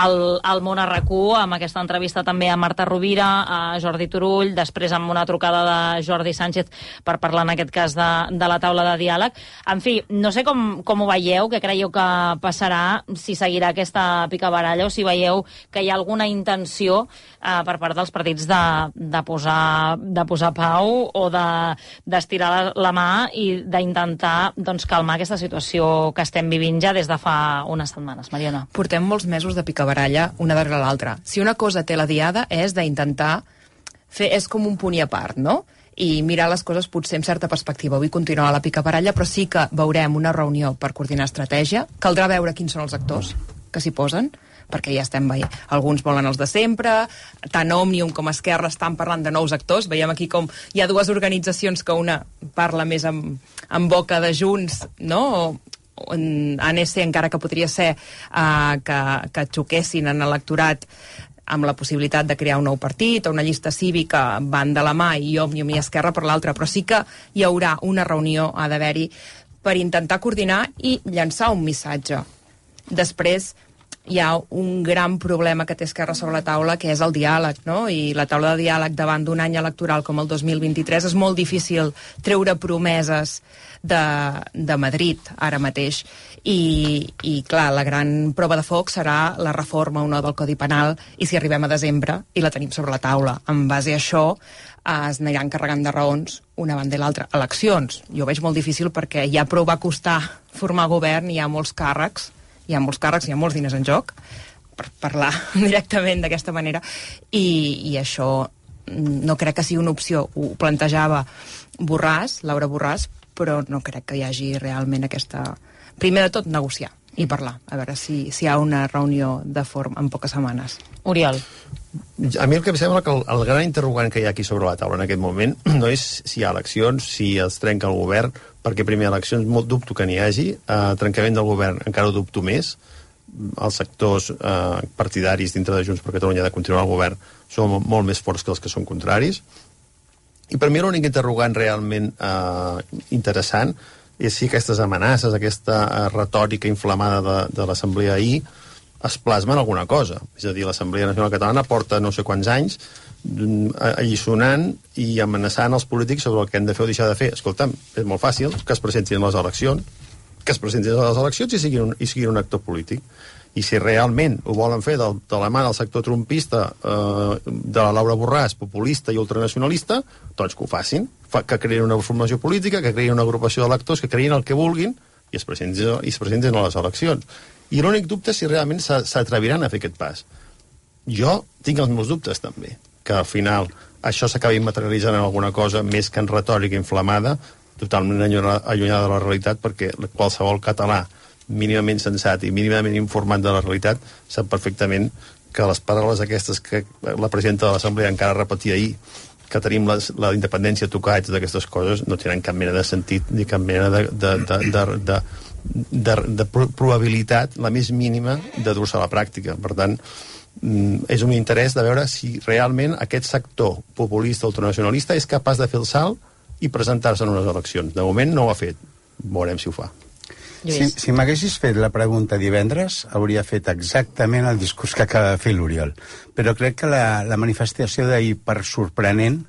al, al Món a RAC u, amb aquesta entrevista també a Marta Rovira, a Jordi Turull, després amb una trucada de Jordi Sánchez per parlar en aquest cas de, de la taula de diàleg. En fi, no sé com, com ho veieu, què creieu que passarà, si seguirà aquesta picabaralla o si veieu que hi ha alguna intenció eh, per part dels partits de, de, posar, de posar pau o de, d'estirar la, la mà i d'intentar doncs, calmar aquesta situació que estem vivint ja des de fa unes setmanes. Mariona. Portem molts mesos de picabaralla una darrere l'altra. Si una cosa té la Diada és d'intentar fer, és com un punt i a part, no? I mirar les coses potser amb certa perspectiva. Avui continuarà la picabaralla, però sí que veurem una reunió per coordinar estratègia. Caldrà veure quins són els actors que s'hi posen, perquè ja estem veient. Alguns volen els de sempre, tant Òmnium com Esquerra estan parlant de nous actors. Veiem aquí com hi ha dues organitzacions que una parla més amb, amb boca de Junts, no? O en A N C, encara que podria ser uh, que, que xoquessin en electorat amb la possibilitat de crear un nou partit o una llista cívica, van de la mà, i Òmnium i Esquerra per l'altra, però sí que hi haurà una reunió, ha d'haver-hi, per intentar coordinar i llançar un missatge. Després hi ha un gran problema que té Esquerra sobre la taula, que és el diàleg, no? I la taula de diàleg davant d'un any electoral com el dos mil vint-i-tres és molt difícil treure promeses de, de Madrid ara mateix. I, i clar, la gran prova de foc serà la reforma o no del Codi Penal, i si arribem a desembre i la tenim sobre la taula. En base a això es aniran carregant de raons una banda i l'altra. Eleccions, jo ho veig molt difícil perquè ja prou va costar formar govern, hi ha molts càrrecs, hi ha molts càrrecs, hi ha molts diners en joc, per parlar directament d'aquesta manera, i, i això no crec que sigui una opció. Ho plantejava Borràs, Laura Borràs, però no crec que hi hagi realment aquesta... Primer de tot, negociar i parlar, a veure si, si hi ha una reunió de forma en poques setmanes. Oriol. A mi el que em sembla que el, el gran interrogant que hi ha aquí sobre la taula en aquest moment no és si hi ha eleccions, si es trenca el govern, perquè primer eleccions molt dubto que n'hi hagi, eh, trencament del govern encara ho dubto més, els sectors eh, partidaris dintre de Junts per Catalunya de continuar el govern són molt més forts que els que són contraris, i per mi l'únic interrogant realment eh, interessant és si aquestes amenaces, aquesta eh, retòrica inflamada de, de l'Assemblea ahir es plasma en alguna cosa. És a dir, l'Assemblea Nacional Catalana porta no sé quants anys alliçonant i amenaçant els polítics sobre el que han de fer o deixar de fer. Escolta'm, és molt fàcil que es presentin a les eleccions, que es presentin a les eleccions i siguin un, i siguin un actor polític. I si realment ho volen fer de, de la mà del sector trumpista, eh, de la Laura Borràs, populista i ultranacionalista, doncs que ho facin, Fa, que creïn una formació política, que creïn una agrupació d'electors, que creïn el que vulguin i es presentin, i es presentin a les eleccions. I l'únic dubte és si realment s'atreviran a fer aquest pas. Jo tinc els meus dubtes també, que al final això s'acabi materialitzant en alguna cosa més que en retòrica inflamada, totalment allunyada de la realitat, perquè qualsevol català mínimament sensat i mínimament informat de la realitat sap perfectament que les paraules aquestes que la presidenta de l'Assemblea encara repetia ahir, que tenim les, la independència tocats d'aquestes coses, no tenen cap mena de sentit ni cap mena de, de, de, de, de, de, de probabilitat, la més mínima, de dur-se a la pràctica. Per tant, és un interès de veure si realment aquest sector populista ultranacionalista és capaç de fer el salt i presentar-se en unes eleccions. De moment no ho ha fet. Veurem si ho fa. Si, si m'haguessis fet la pregunta divendres, hauria fet exactament el discurs que acaba de fer l'Oriol. Però crec que la, la manifestació d'ahir, per sorprenent,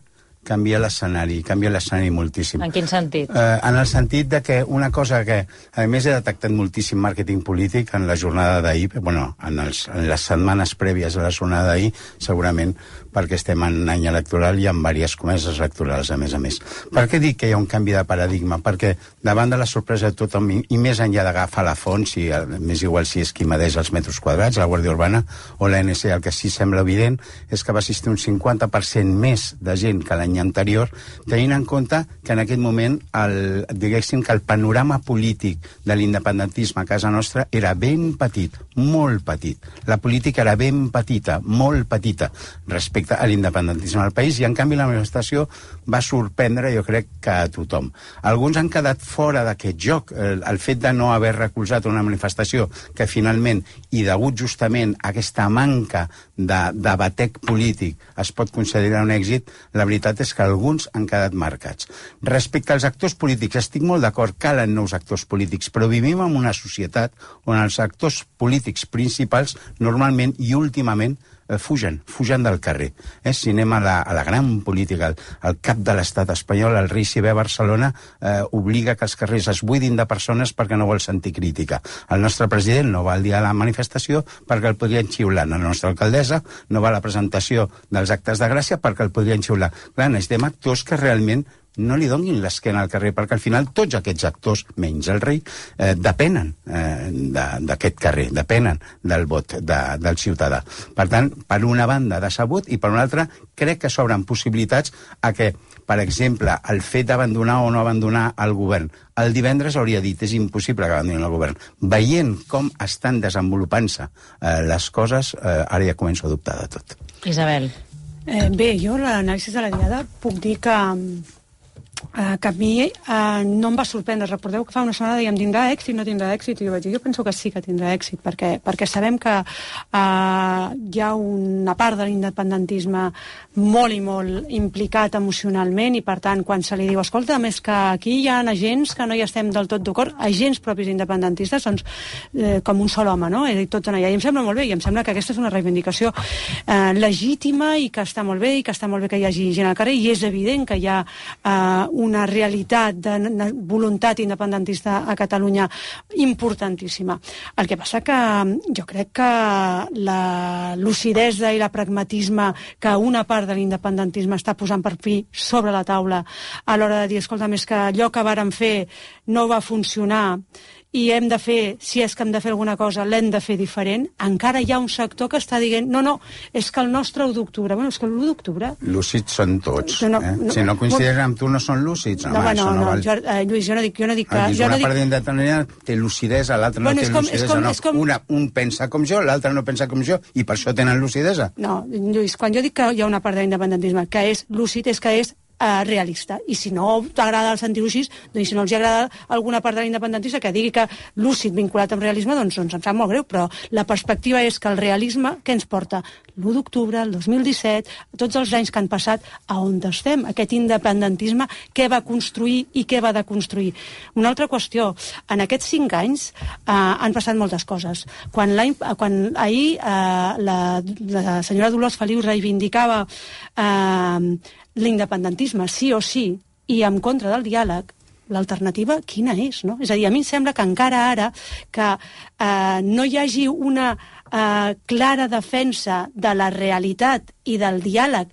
canvia l'escenari, canvia l'escenari moltíssim. En quin sentit? Eh, en el sentit de que una cosa que, a més, he detectat moltíssim màrqueting polític en la jornada d'ahir, bueno, en, els, en les setmanes prèvies a la jornada d'ahir, segurament perquè estem en any electoral i en diverses comeses electorals, a més a més. Per què dic que hi ha un canvi de paradigma? Perquè davant de la sorpresa de tothom, i més enllà d'agafar la font, si, més igual si és qui medeix els metres quadrats, la Guàrdia Urbana o l'A N C, el que sí sembla evident és que va assistir un cinquanta per cent més de gent que l'any anterior, tenint en compte que en aquest moment el, diguéssim que el panorama polític de l'independentisme a casa nostra era ben petit, molt petit. La política era ben petita, molt petita, respecte a l'independentisme del país, i en canvi la manifestació va sorprendre, jo crec, que a tothom. Alguns han quedat fora d'aquest joc. El, el fet de no haver recolzat una manifestació que finalment, i degut justament a aquesta manca de, de batec polític, es pot considerar un èxit, la veritat és que alguns han quedat marcats. Respecte als actors polítics, estic molt d'acord, calen nous actors polítics, però vivim en una societat on els actors polítics principals normalment i últimament eh, fugen, fugen del carrer. Eh? Si anem a la, a la gran política, el, el cap de l'estat espanyol, el rei si ve a Barcelona, eh, obliga que els carrers es buidin de persones perquè no vol sentir crítica. El nostre president no va al dia de la manifestació perquè el podrien xiular. La nostra alcaldessa no va a la presentació dels actes de Gràcia perquè el podrien xiular. Clar, necessitem actors que realment no li donin l'esquena al carrer, perquè al final tots aquests actors, menys el rei, eh, depenen eh, d'aquest carrer, depenen del vot de, del ciutadà. Per tant, per una banda, decebut, i per una altra, crec que s'obren possibilitats a que, per exemple, el fet d'abandonar o no abandonar el govern, el divendres hauria dit, és impossible que abandonin el govern. Veient com estan desenvolupant-se eh, les coses, eh, ara ja començo a dubtar de tot. Isabel. Eh, bé, jo l'anàlisi de la diada puc dir que Uh, que a mi uh, no em va sorprendre. Recordeu que fa una setmana dèiem tindrà èxit, no tindrà èxit, i jo vaig dir, jo penso que sí que tindrà èxit, perquè, perquè sabem que uh, hi ha una part de l'independentisme molt i molt implicat emocionalment, i per tant quan se li diu, escolta, més que aquí hi ha agents que no hi estem del tot d'acord, agents propis independentistes, doncs eh, com un sol home, no? És a dir, tots allà. I em sembla molt bé, i em sembla que aquesta és una reivindicació eh, legítima, i que està molt bé, i que està molt bé que hi hagi gent al carrer, i és evident que hi ha eh, una realitat de voluntat independentista a Catalunya importantíssima. El que passa que jo crec que la lucidesa i la pragmatisme que una part de l'independentisme està posant per fi sobre la taula a l'hora de dir, escolta, més que allò que vàrem fer no va funcionar i hem de fer, si és que hem de fer alguna cosa, l'hem de fer diferent, encara hi ha un sector que està dient, no, no, és que el nostre u d'octubre, bueno, és que l'u d'octubre... Lúcids són tots, no, no, eh? No, si no coincideixen amb tu, no són lúcids. No, home, no, no, no, val... jo, eh, Lluís, jo no dic, jo no dic que... Jo una no part dic... té lucidesa, l'altre bueno, no té com, lucidesa, com, no. Com... Una, un pensa com jo, l'altre no pensa com jo, i per això tenen lucidesa. No, Lluís, quan jo dic que hi ha una part de l'independentisme que és lúcid, és que és Uh, realista, i si no t'agrada el sentir-ho així, doncs si no els agrada alguna part de l'independentista que digui que lúcid vinculat amb realisme, doncs, doncs em sap molt greu, però la perspectiva és que el realisme, què ens porta? l'u d'octubre, el dos mil disset, tots els anys que han passat, a on estem? Aquest independentisme, què va construir i què va deconstruir? Una altra qüestió, en aquests cinc anys eh, han passat moltes coses. Quan, quan ahir eh, la, la senyora Dolors Feliu reivindicava eh, l'independentisme sí o sí i en contra del diàleg, l'alternativa quina és, no? És a dir, a mi em sembla que encara ara que eh, no hi hagi una eh, clara defensa de la realitat i del diàleg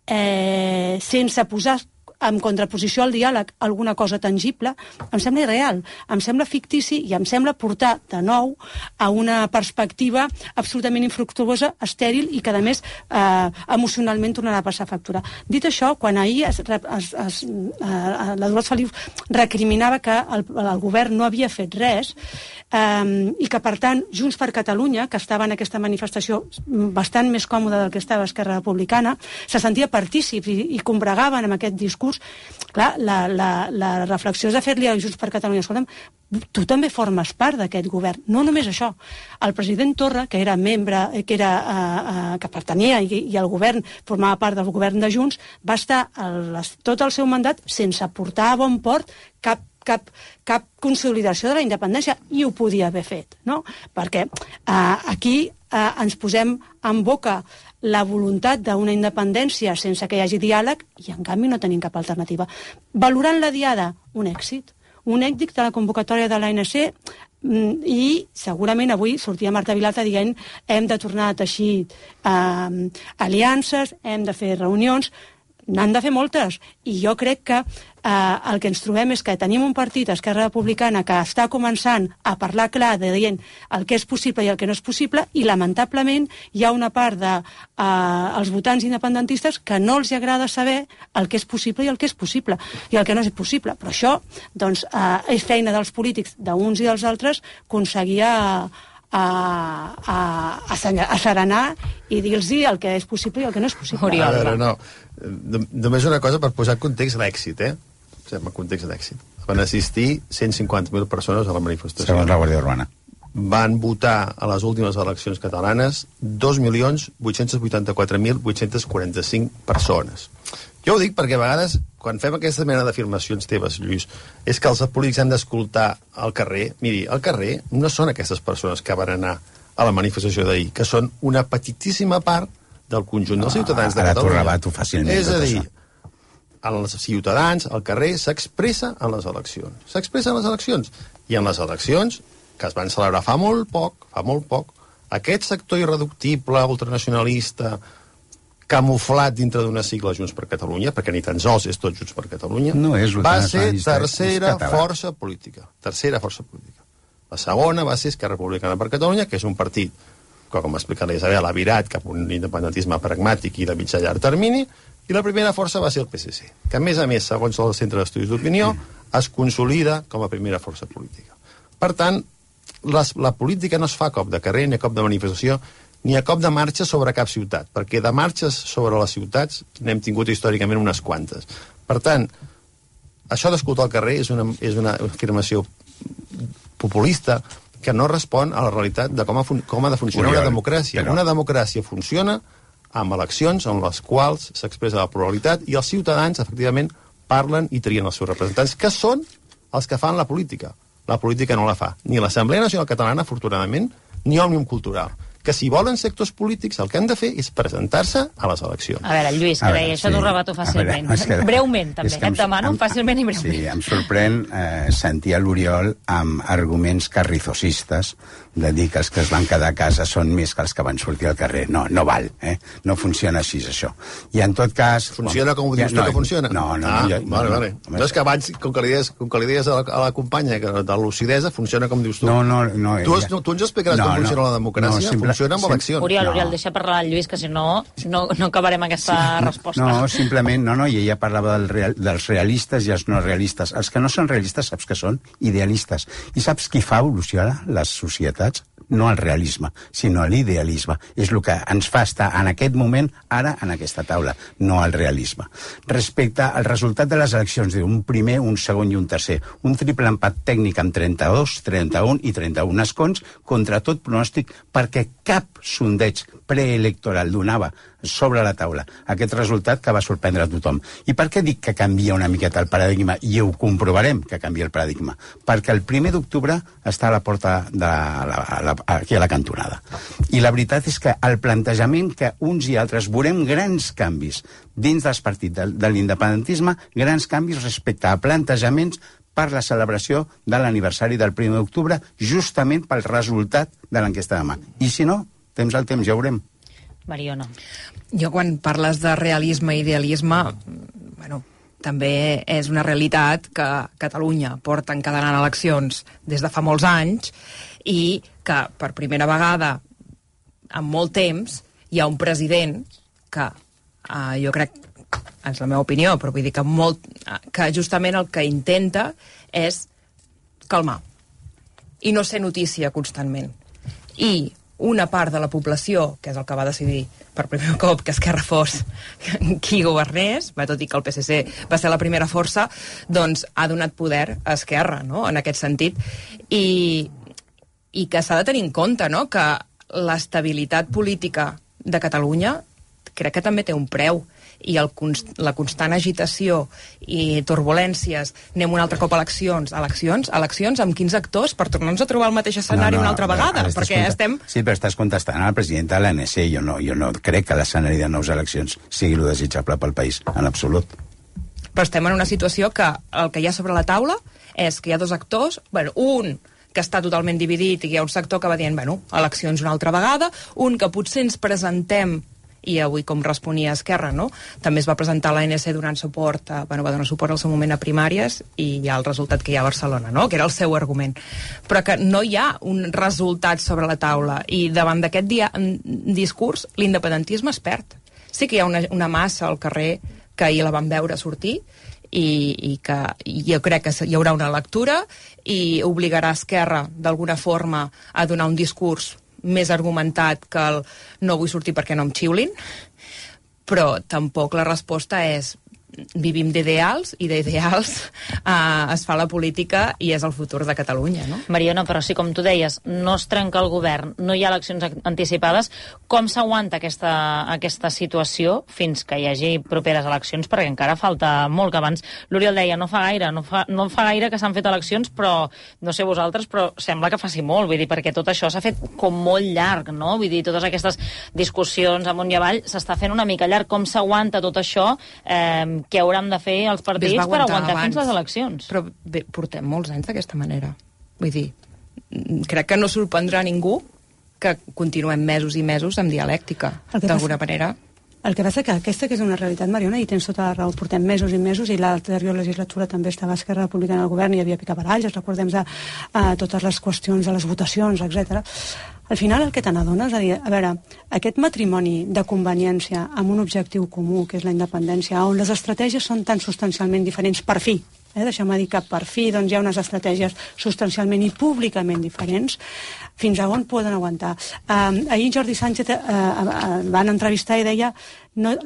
eh, sense posar en contraposició al diàleg, alguna cosa tangible, em sembla irreal, em sembla fictici i em sembla portar de nou a una perspectiva absolutament infructuosa, estèril i que, a més, eh, emocionalment tornarà a passar factura. Dit això, quan ahir es, es, es, eh, la Dolors Feliu recriminava que el, el govern no havia fet res eh, i que, per tant, Junts per Catalunya, que estava en aquesta manifestació bastant més còmoda del que estava Esquerra Republicana, se sentia partícips i, i combregaven amb aquest discurs. Clar, la, la, la reflexió és de fer-li a Junts per Catalunya, escolta'm, tu també formes part d'aquest govern. No només això. El president Torra, que era membre, que, era, uh, uh, que pertanyia i, i el govern formava part del govern de Junts, va estar el, tot el seu mandat sense portar a bon port cap Cap, cap consolidació de la independència, i ho podia haver fet, no? Perquè eh, aquí eh, ens posem en boca la voluntat d'una independència sense que hi hagi diàleg i, en canvi, no tenim cap alternativa. Valorant la diada, un èxit. Un èxit de la convocatòria de l'A N C i segurament avui sortia Marta Vilalta dient hem de tornar a teixir eh, aliances, hem de fer reunions. N'han de fer moltes, i jo crec que eh, el que ens trobem és que tenim un partit, Esquerra Republicana, que està començant a parlar clar de dient el que és possible i el que no és possible, i lamentablement hi ha una part dels de, eh, votants independentistes que no els agrada saber el que és possible i el que és possible, i el que no és possible. Però això doncs, eh, és feina dels polítics, d'uns i dels altres, aconseguir a, a, a, a, a serenar i dir-los el que és possible i el que no és possible. A veure, no. Només una cosa per posar context d'èxit, eh? En context d'èxit. Van assistir cent cinquanta mil persones a la manifestació. Segons la Guàrdia Urbana. Van votar a les últimes eleccions catalanes dos milions vuit-cents vuitanta-quatre mil vuit-cents quaranta-cinc persones. Jo ho dic perquè a vegades, quan fem aquesta mena d'afirmacions teves, Lluís, és que els polítics han d'escoltar al carrer. Miri, al carrer no són aquestes persones que van anar a la manifestació d'ahir, que són una petitíssima part del conjunt dels ciutadans de Catalunya. Ara t'ho rebato fàcilment. És a dir, els ciutadans, al carrer, s'expressa en les eleccions. S'expressa en les eleccions. I en les eleccions, que es van celebrar fa molt poc, fa molt poc, aquest sector irreductible, ultranacionalista, camuflat dintre d'una sigla Junts per Catalunya, perquè ni tan sols és tot Junts per Catalunya, no és va ser tercera força política. Tercera força política. La segona va ser Esquerra Republicana per Catalunya, que és un partit que, com ha explicat la Isabel, ha virat cap a un independentisme pragmàtic i de mitjà llarg termini, i la primera força va ser el P S C, que a més a més, segons el Centre d'Estudis d'Opinió, es consolida com a primera força política. Per tant, les, la política no es fa a cop de carrer, ni a cop de manifestació, ni a cop de marxa sobre cap ciutat, perquè de marxes sobre les ciutats n'hem tingut històricament unes quantes. Per tant, això d'escoltar al carrer és una, és una afirmació populista que no respon a la realitat de com ha, com ha de funcionar Oriol, una democràcia. Però... Una democràcia funciona amb eleccions en les quals s'expressa la pluralitat i els ciutadans, efectivament, parlen i trien els seus representants, que són els que fan la política. La política no la fa ni l'Assemblea Nacional Catalana, afortunadament, ni Òmnium Cultural. Que si volen sectors polítics el que han de fer és presentar-se a les eleccions. A veure, Lluís, que deia, això sí. T'ho rebato fàcilment. Veure, que... Breument, també, que, que et demano, em, fàcilment i breument. Sí, em sorprèn eh, sentir a l'Oriol amb arguments carrizosistes de dir que els que es van quedar a casa són més que els que van sortir al carrer. No, no val, eh? No funciona així, això. I en tot cas... Funciona com ho dius tu, no, que funciona? No, no. Ah, no, jo, vale, vale. No, no és que abans, com que li deies, com que li deies a, la, a la companya que de lucidesa, funciona com dius tu. No, no, no. Tu, has, no, tu ens explicaràs no, com funciona no, la democràcia? No, simple, funciona amb eleccions. Oriol, no. Oriol, deixa parlar el Lluís, que si no, no, no acabarem aquesta sí, resposta. No, simplement, no, no, i ella parlava del real, dels realistes i els no realistes. Els que no són realistes saps que són idealistes. I saps qui fa evolucionar les societats? No el realisme, sinó l'idealisme. És el que ens fa estar en aquest moment, ara, en aquesta taula, no el realisme. Respecte al resultat de les eleccions, un primer, un segon i un tercer, un triple empat tècnic amb trenta-dos, trenta-un i trenta-un escons, contra tot pronòstic, perquè cap sondeig preelectoral donava sobre la taula aquest resultat que va sorprendre a tothom. I per què dic que canvia una miqueta el paradigma? I ho comprovarem que canvia el paradigma. Perquè el primer d'octubre està a la porta de la, a la, aquí a la cantonada. I la veritat és que el plantejament que uns i altres veurem grans canvis dins dels partits de, de l'independentisme, grans canvis respecte a plantejaments per la celebració de l'aniversari del primer d'octubre, justament pel resultat de l'enquesta de demà. I si no, temps al temps, ja veurem. Mariona. Jo, quan parles de realisme i idealisme, bueno, també és una realitat que Catalunya porta encadenant eleccions des de fa molts anys i que per primera vegada en molt temps hi ha un president que uh, jo crec, és la meva opinió, però vull dir que, molt, que justament el que intenta és calmar i no ser notícia constantment. I una part de la població, que és el que va decidir per primer cop que Esquerra fos qui governés, va, tot i que el P S C va ser la primera força, doncs ha donat poder a Esquerra, no?, en aquest sentit. I, i que s'ha de tenir en compte, no?, que l'estabilitat política de Catalunya crec que també té un preu, i el, la constant agitació i turbulències, anem un altre cop a eleccions, eleccions, eleccions amb quins actors per tornar-nos a trobar el mateix escenari no, no, una altra vegada, perquè content... estem... Sí, però estàs contestant al president de l'A N C, jo no, jo no crec que l'escenari de nous eleccions sigui el desitjable pel país, en absolut. Però estem en una situació que el que hi ha sobre la taula és que hi ha dos actors, bueno, un que està totalment dividit i hi ha un sector que va dient, bueno, eleccions una altra vegada, un que potser ens presentem i avui, com responia Esquerra, no?, també es va presentar l'A N C donant suport, a, bueno, va donar suport al seu moment a primàries i hi ha el resultat que hi ha a Barcelona, no?, que era el seu argument. Però que no hi ha un resultat sobre la taula i davant d'aquest dia, discurs l'independentisme es perd. Sí que hi ha una, una massa al carrer que ahir la vam veure sortir i, i que jo crec que hi haurà una lectura i obligarà Esquerra d'alguna forma a donar un discurs més argumentat que el no vull sortir perquè no em xiulin, però tampoc la resposta és vivim d'ideals i d'ideals eh, es fa la política i és el futur de Catalunya, no? Mariona, però si com tu deies no es trenca el govern, no hi ha eleccions anticipades, com s'aguanta aquesta, aquesta situació fins que hi hagi properes eleccions? Perquè encara falta molt, que abans l'Oriol deia no fa gaire, no fa, no fa gaire que s'han fet eleccions, però no sé vosaltres, però sembla que faci molt, vull dir, perquè tot això s'ha fet com molt llarg, no? Vull dir, totes aquestes discussions amunt i avall s'està fent una mica llarg. Com s'aguanta tot això? Eh, què hauran de fer els partits per aguantar abans, fins les eleccions? Però bé, portem molts anys d'aquesta manera. Vull dir, crec que no sorprendrà ningú que continuem mesos i mesos amb dialèctica, d'alguna manera. El que passa que aquesta que és una realitat, Mariona, i tens tota la raó, portem mesos i mesos, i l'anterior legislatura també estava Esquerra Republicana al govern i hi havia picabaralles, recordem a, a totes les qüestions de les votacions, etcètera. Al final el que te n'adones, a dir, a veure, aquest matrimoni de conveniència amb un objectiu comú, que és la independència, on les estratègies són tan substancialment diferents, per fi, eh, deixeu-me dir que per fi doncs, hi ha unes estratègies substancialment i públicament diferents, fins a on poden aguantar. Um, ahir Jordi Sánchez uh, uh, van entrevistar i deia no,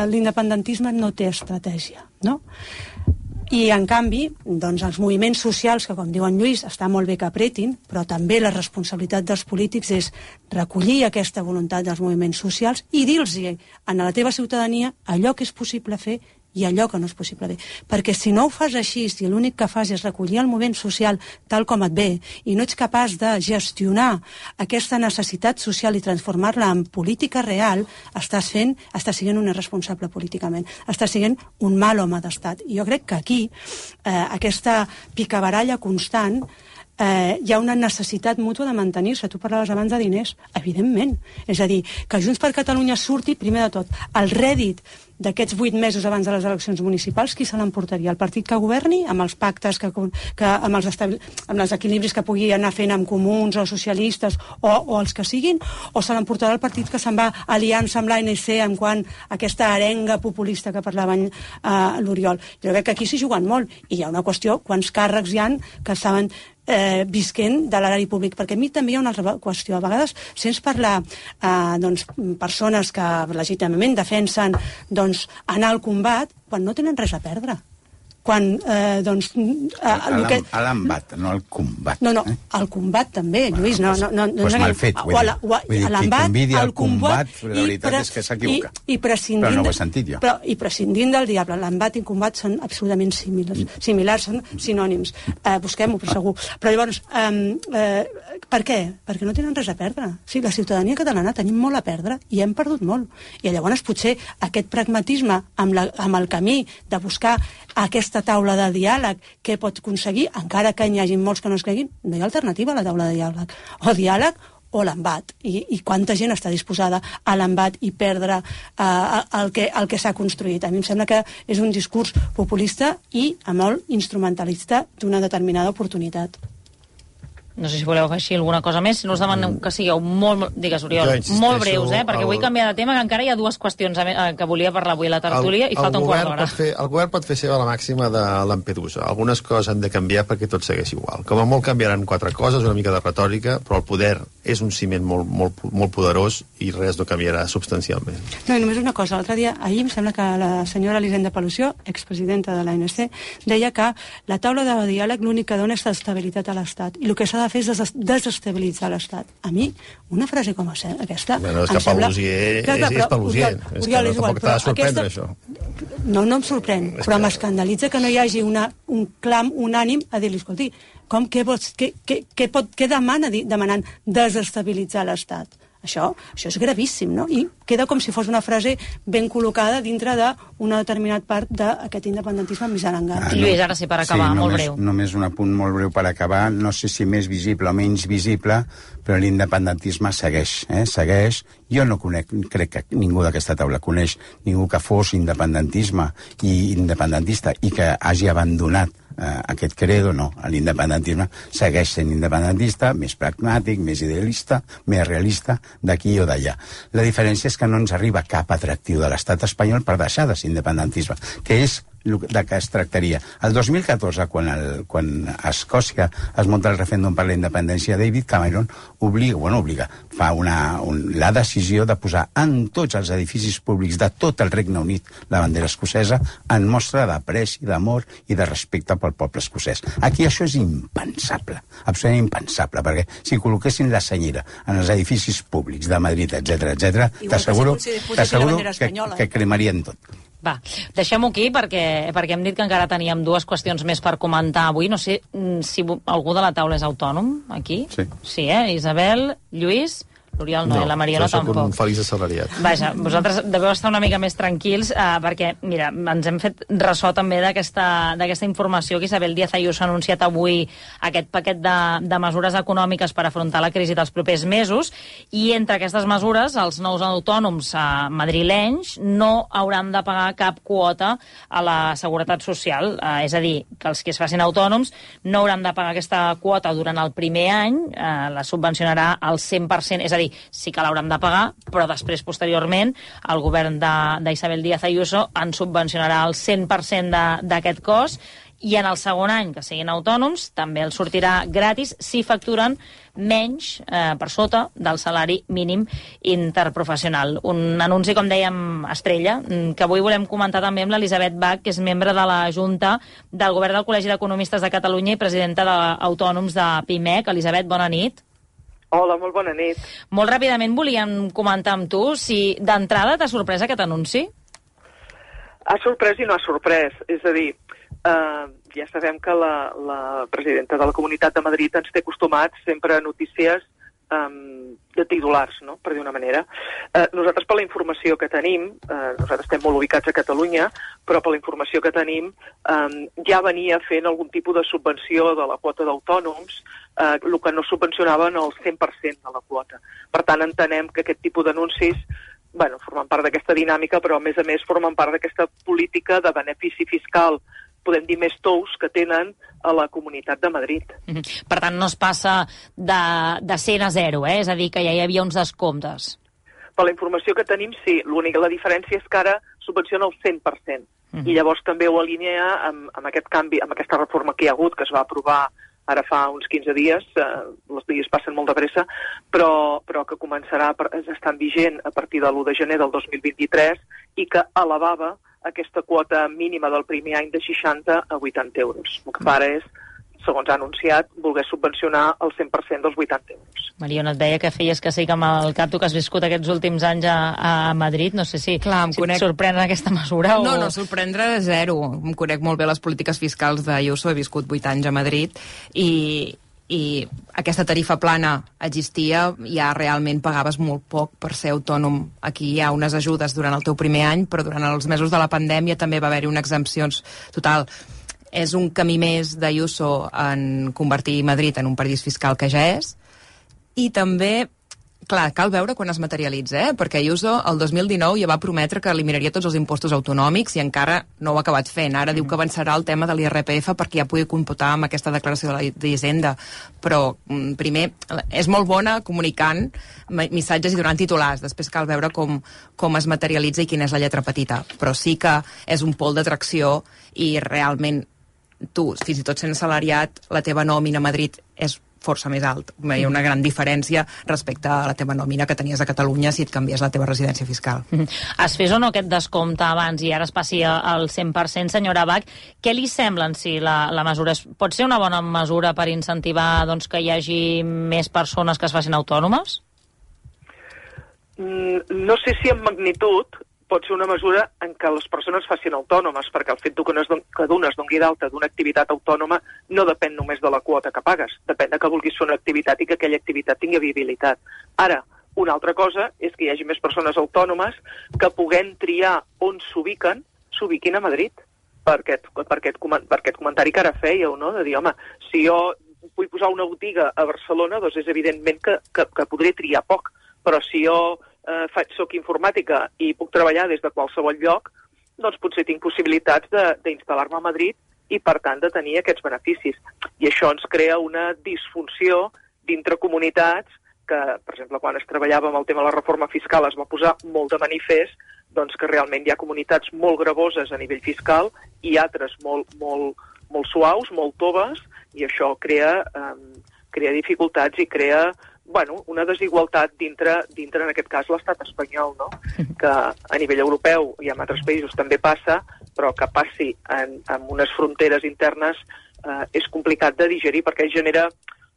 l'independentisme no té estratègia, no? I, en canvi, doncs, els moviments socials, que, com diu en Lluís, està molt bé que apretin, però també la responsabilitat dels polítics és recollir aquesta voluntat dels moviments socials i dir-los a la teva ciutadania allò que és possible fer i allò que no és possible fer. Perquè si no ho fas així, si l'únic que fas és recollir el moviment social tal com et ve i no ets capaç de gestionar aquesta necessitat social i transformar-la en política real, estàs fent, estàs sent un irresponsable políticament, estàs sent un mal home d'estat. I jo crec que aquí eh, aquesta picabaralla constant eh, hi ha una necessitat mútua de mantenir-se. Tu parlaves abans de diners, evidentment. És a dir, que Junts per Catalunya surti, primer de tot, el rèdit d'aquests vuit mesos abans de les eleccions municipals, qui se l'emportaria? El partit que governi, amb els pactes, que, que, amb, els estabil... amb els equilibris que pugui anar fent amb comuns o socialistes o, o els que siguin, o se l'emportarà el partit que se'n va aliança amb l'A N C en quant a aquesta arenga populista que parlava eh, l'Oriol? Jo crec que aquí s'hi juguen molt, i hi ha una qüestió, quants càrrecs hi han que estaven eh, visquent de l'erari públic, perquè a mi també hi ha una altra qüestió. A vegades sents parlar eh, doncs, persones que legítimament defensen doncs, anar al combat quan no tenen res a perdre. Quan, eh, doncs... Eh, a que... l'embat, no al combat. No, no, eh? al combat també, Lluís. No, no, no, pues no mal fet, vull dir. Vull dir, qui convidi al combat, la veritat pre... és que s'equivoca. I, i però no ho he sentit jo. Però, I prescindint del diable, l'embat i el combat són absolutament similars, similars són sinònims. Eh, Busquem-ho, per segur. Però llavors, eh, eh, per què? Perquè no tenen res a perdre. Sí, la ciutadania catalana tenim molt a perdre i hem perdut molt. I llavors potser aquest pragmatisme amb, la, amb el camí de buscar aquesta taula de diàleg, què pot aconseguir, encara que hi hagi molts que no es creguin, no hi ha alternativa a la taula de diàleg. O diàleg o l'embat, i, i quanta gent està disposada a l'embat i perdre uh, el que, el que s'ha construït. A mi em sembla que és un discurs populista i molt instrumentalista d'una determinada oportunitat. No sé si voleu afegir alguna cosa més, si no us demanem que sigueu molt, digues Oriol, molt breus, eh? perquè el... vull canviar de tema, que encara hi ha dues qüestions que volia parlar avui a la tertúlia el, i falta un quart d'hora. El govern pot fer seva la màxima de Lampedusa. Algunes coses han de canviar perquè tot segueix igual. Com a molt canviaran quatre coses, una mica de retòrica, però el poder és un ciment molt, molt, molt poderós i res no canviarà substancialment. No, i només una cosa. L'altre dia, ahir em sembla que la senyora Elisenda Palució, expresidenta de l'A N C, deia que la taula de diàleg l'únic que dona és estabilitat a l'Estat i el que s'ha de fer és des desestabilitzar l'Estat. A mi, una frase com aquesta... Bueno, és que Palusier és, és Palusier. És que no tampoc t'ha de sorprendre, això. No, no em sorprèn, però m'escandalitza que no hi hagi una, un clam unànim a dir-li, escolti, com, què, vols, què, què, què, pot, què demana demanant desestabilitzar l'Estat? Això, això és gravíssim, no? I queda com si fos una frase ben col·locada dintre d'una determinada part d'aquest independentisme més arangat. Ah, no. Lluís, ara sí, per acabar, sí, molt només, breu. Només un apunt molt breu per acabar. No sé si més visible o menys visible, però l'independentisme segueix, eh? segueix. Jo no conec, crec que ningú d'aquesta taula coneix ningú que fos independentisme i independentista i que hagi abandonat eh, aquest credo, no. L'independentisme segueix sent independentista, més pragmàtic, més idealista, més realista, d'aquí o d'allà. La diferència és que no ens arriba cap atractiu de l'estat espanyol per deixar de ser independentisme, que és de què es tractaria. El dos mil catorze, quan, el, quan a Escòcia es munta el referèndum per la independència, David Cameron obliga, bueno, obliga, fa una, un, la decisió de posar en tots els edificis públics de tot el Regne Unit la bandera escocesa en mostra d'apreci, d'amor i de respecte pel poble escocès. Aquí això és impensable, absolutament impensable, perquè si col·loquessin la senyera en els edificis públics de Madrid, etcètera, etcètera, t'asseguro que, que cremarien tot. Va, deixem-ho aquí perquè, perquè hem dit que encara teníem dues qüestions més per comentar avui. No sé si algú de la taula és autònom, aquí. Sí. Sí, eh? Isabel, Lluís... L'Oriol no, no, i la Mariona tampoc. No, jo soc un feliç assalariat. Vaja, vosaltres deveu estar una mica més tranquils eh, perquè, mira, ens hem fet ressò també d'aquesta informació que Isabel Díaz Ayuso ha anunciat avui aquest paquet de, de mesures econòmiques per afrontar la crisi dels propers mesos i entre aquestes mesures els nous autònoms eh, madrilenys no hauran de pagar cap quota a la Seguretat Social. Eh, és a dir, que els que es facin autònoms no hauran de pagar aquesta quota durant el primer any, eh, la subvencionarà al cent per cent, és a dir, sí que l'hauran de pagar, però després, posteriorment, el govern d'Isabel Díaz Ayuso en subvencionarà el cent per cent d'aquest cost i en el segon any que siguin autònoms també els sortirà gratis si facturen menys eh, per sota del salari mínim interprofessional. Un anunci, com dèiem, estrella, que avui volem comentar també amb l'Elisabet Bach, que és membre de la Junta del Govern del Col·legi d'Economistes de Catalunya i presidenta d'Autònoms de PIMEC. Elisabet, bona nit. Hola, molt bona nit. Molt ràpidament volíem comentar amb tu si d'entrada t'ha sorprès aquest anunci? Ha sorprès i no ha sorprès. És a dir, eh, ja sabem que la, la presidenta de la Comunitat de Madrid ens té acostumats sempre a notícies um, de titulars, no?, per dir una manera. Eh, nosaltres, per la informació que tenim, eh, nosaltres estem molt ubicats a Catalunya, però per la informació que tenim eh, ja venia fent algun tipus de subvenció de la quota d'autònoms, eh, el que no subvencionaven el cent per cent de la quota. Per tant, entenem que aquest tipus d'anuncis bueno, formen part d'aquesta dinàmica, però a més a més formen part d'aquesta política de benefici fiscal, podem dir, més tous que tenen a la Comunitat de Madrid. Mm-hmm. Per tant, no es passa de, de cent a zero, eh? És a dir, que ja hi havia uns descomptes. Per la informació que tenim, sí. L'única la diferència és que ara subvenciona el cent per cent. Mm-hmm. I llavors també ho alinea amb, amb aquest canvi, amb aquesta reforma que hi ha hagut, que es va aprovar ara fa uns quinze dies, eh, els dies passen molt de pressa, però, però que començarà a estar vigent a partir de l'u de gener del dos mil vint-i-tres i que elevava aquesta quota mínima del primer any de seixanta a vuitanta euros. El que fa ara és, segons ha anunciat, voler subvencionar el cent per cent dels vuitanta euros. Mariona, et deia que feies que sí que amb el cap tu que has viscut aquests últims anys a, a Madrid, no sé si, Clar, si conec... et sorprèn aquesta mesura o... No, no, sorprendre zero. Em conec molt bé les polítiques fiscals d'Ayuso, he viscut vuit anys a Madrid i... i aquesta tarifa plana existia, ja realment pagaves molt poc per ser autònom. Aquí hi ha unes ajudes durant el teu primer any, però durant els mesos de la pandèmia també va haver-hi unes exempcions. Total, és un camí més d'Ayuso en convertir Madrid en un paradís fiscal que ja és, i també clar, cal veure quan es materialitza, eh? Perquè Ayuso el dos mil dinou ja va prometre que eliminaria tots els impostos autonòmics i encara no ho ha acabat fent. Ara mm. diu que avançarà el tema de l'I R P F perquè ja pugui computar amb aquesta declaració de l'Hisenda. Però, primer, és molt bona comunicant missatges i donant titulars. Després cal veure com, com es materialitza i quina és la lletra petita. Però sí que és un pol d'atracció i realment tu, fins i tot sent assalariat, la teva nòmina a Madrid és força més alt. Hi ha una gran diferència respecte a la teva nòmina que tenies a Catalunya si et canvies la teva residència fiscal. Es fes o no aquest descompte abans i ara es passi al cent per cent, senyora Bach, què li semblen si la, la mesura és, pot ser una bona mesura per incentivar doncs, que hi hagi més persones que es facin autònomes? Mm, no sé si en magnitud pot ser una mesura en què les persones facin autònomes, perquè el fet que d'una es doni d'alta d'una activitat autònoma no depèn només de la quota que pagues, depèn de que vulguis fer una activitat i que aquella activitat tingui viabilitat. Ara, una altra cosa és que hi hagi més persones autònomes que puguem triar on s'ubiquen, s'ubiquin a Madrid, per aquest, per, aquest, per aquest comentari que ara fèieu, no? De dir, home, si jo vull posar una botiga a Barcelona, doncs és evidentment que, que, que podré triar poc, però si jo eh, faig, soc informàtica i puc treballar des de qualsevol lloc, doncs potser tinc possibilitats d'instal·lar-me a Madrid i, per tant, de tenir aquests beneficis. I això ens crea una disfunció dintre comunitats que, per exemple, quan es treballava amb el tema de la reforma fiscal es va posar molt de manifest doncs, que realment hi ha comunitats molt gravoses a nivell fiscal i altres molt, molt, molt suaus, molt toves, i això crea, eh, crea dificultats i crea bueno, una desigualtat dintre, dintre, en aquest cas, l'estat espanyol, no? Que a nivell europeu i en altres països també passa, però que passi en, en unes fronteres internes eh, és complicat de digerir perquè genera,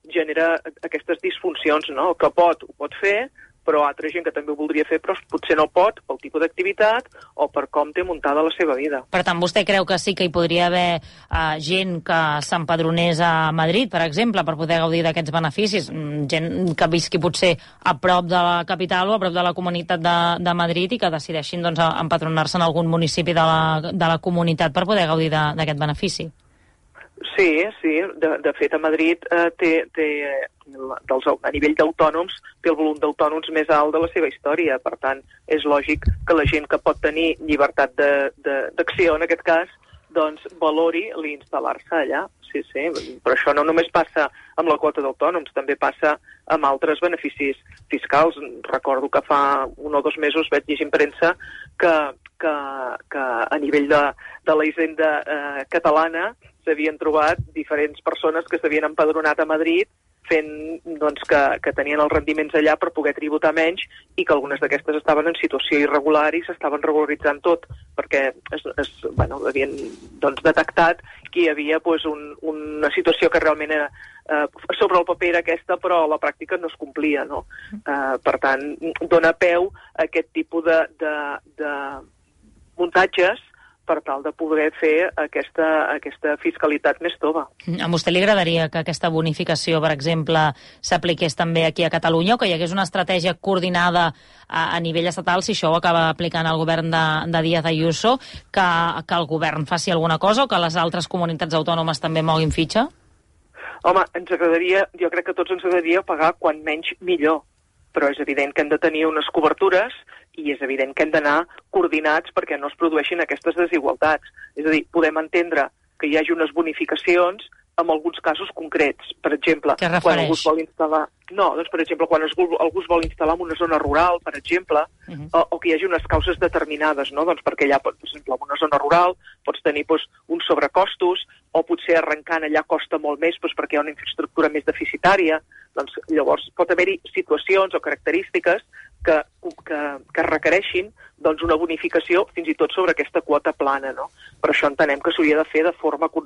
genera aquestes disfuncions, no? El que pot, ho pot fer, però altra gent que també ho voldria fer, però potser no pot pel tipus d'activitat o per com té muntada la seva vida. Per tant, vostè creu que sí que hi podria haver uh, gent que s'empadronés a Madrid, per exemple, per poder gaudir d'aquests beneficis? Gent que visqui potser a prop de la capital o a prop de la comunitat de, de Madrid i que decideixin doncs, empadronar-se en algun municipi de la, de la comunitat per poder gaudir d'aquest benefici. Sí, sí. De, de fet, a Madrid eh, té, té dels, a nivell d'autònoms té el volum d'autònoms més alt de la seva història. Per tant, és lògic que la gent que pot tenir llibertat d'acció, en aquest cas, doncs valori l'instal·lar-se allà. Sí, sí. Però això no només passa amb la quota d'autònoms, també passa amb altres beneficis fiscals. Recordo que fa un o dos mesos vaig llegir en premsa que, que, que a nivell de, de la hisenda eh, catalana s'havien trobat diferents persones que s'havien empadronat a Madrid fent doncs, que, que tenien els rendiments allà per poder tributar menys i que algunes d'aquestes estaven en situació irregular i s'estaven regularitzant tot perquè es, es, bueno, havien doncs, detectat que hi havia doncs, un, una situació que realment era, eh, sobre el paper era aquesta però a la pràctica no es complia. No? Eh, per tant, dona peu a aquest tipus de, de, de muntatges per tal de poder fer aquesta, aquesta fiscalitat més tova. A vostè li agradaria que aquesta bonificació, per exemple, s'apliqués també aquí a Catalunya o que hi hagués una estratègia coordinada a, a nivell estatal, si això ho acaba aplicant el govern de, de Díaz Ayuso, que, que el govern faci alguna cosa o que les altres comunitats autònomes també moguin fitxa? Home, ens agradaria, jo crec que tots ens agradaria pagar quan menys millor, però és evident que hem de tenir unes cobertures i és evident que hem d'anar coordinats perquè no es produeixin aquestes desigualtats. És a dir, podem entendre que hi hagi unes bonificacions en alguns casos concrets. Per exemple, quan algú es vol instal·lar... No, doncs, per exemple, quan algú es vol instal·lar en una zona rural, per exemple, uh-huh. o, o que hi hagi unes causes determinades, no? Doncs perquè allà, per exemple, en una zona rural pots tenir doncs, uns sobrecostos o potser arrencant allà costa molt més doncs, perquè hi ha una infraestructura més deficitària. Doncs, llavors pot haver-hi situacions o característiques que, que, que requereixin doncs, una bonificació fins i tot sobre aquesta quota plana. No? Per això entenem que s'hauria de fer de forma co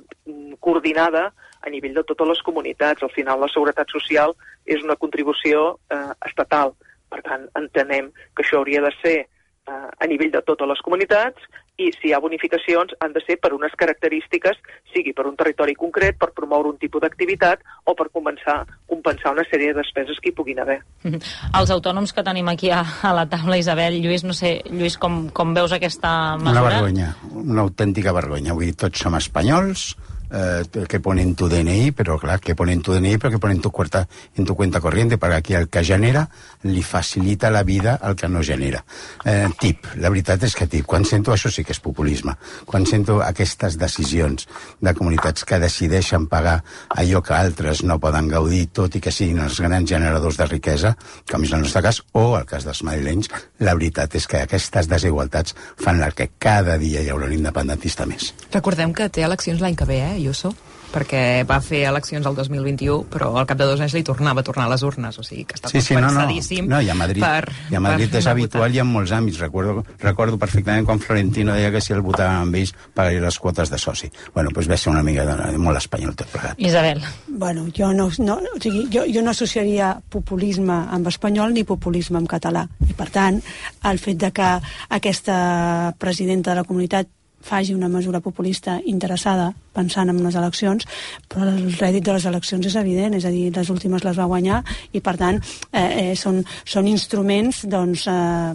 coordinada a nivell de totes les comunitats. Al final la seguretat social és una contribució eh, estatal. Per tant, entenem que això hauria de ser eh, a nivell de totes les comunitats i si hi ha bonificacions han de ser per unes característiques, sigui per un territori concret, per promoure un tipus d'activitat o per començar, compensar una sèrie de despeses que hi puguin haver. Els autònoms que tenim aquí a, a la taula, Isabel, Lluís, no sé, Lluís, com, com veus aquesta mesura? Una vergonya, una autèntica vergonya. Vull dir, tots som espanyols, eh, que pone en tu D N I, pero claro, que pone en tu D N I, pero que pone en tu cuenta, en tu cuenta corriente, perquè aquí el que genera li facilita la vida al que no genera. Eh, tip, la veritat és que tip, quan sento, això sí que és populisme, quan sento aquestes decisions de comunitats que decideixen pagar allò que altres no poden gaudir, tot i que siguin els grans generadors de riquesa, com és el nostre cas, o el cas dels madrilenys, la veritat és que aquestes desigualtats fan que cada dia hi haurà un independentista més. Recordem que té eleccions l'any que ve, eh, Ayuso? Perquè va fer eleccions el dos mil vint-i-u, però al cap de dos anys li tornava a tornar a les urnes, o sigui que està sí, sí, pensadíssim. No, no. no, i a Madrid, per, i a Madrid és habitual votar. I en molts àmbits. Recordo, recordo perfectament quan Florentino deia que si el votàvem amb ells pagaria les quotes de soci. Bueno, doncs ve ser una mica de, de molt espanyol tot plegat. Isabel. Bueno, jo no, no, o sigui, jo, jo no associaria populisme amb espanyol ni populisme amb català. I per tant, el fet de que aquesta presidenta de la comunitat faci una mesura populista interessada pensant en les eleccions, però el rèdit de les eleccions és evident, és a dir, les últimes les va guanyar i per tant eh, eh, són, són instruments doncs, eh,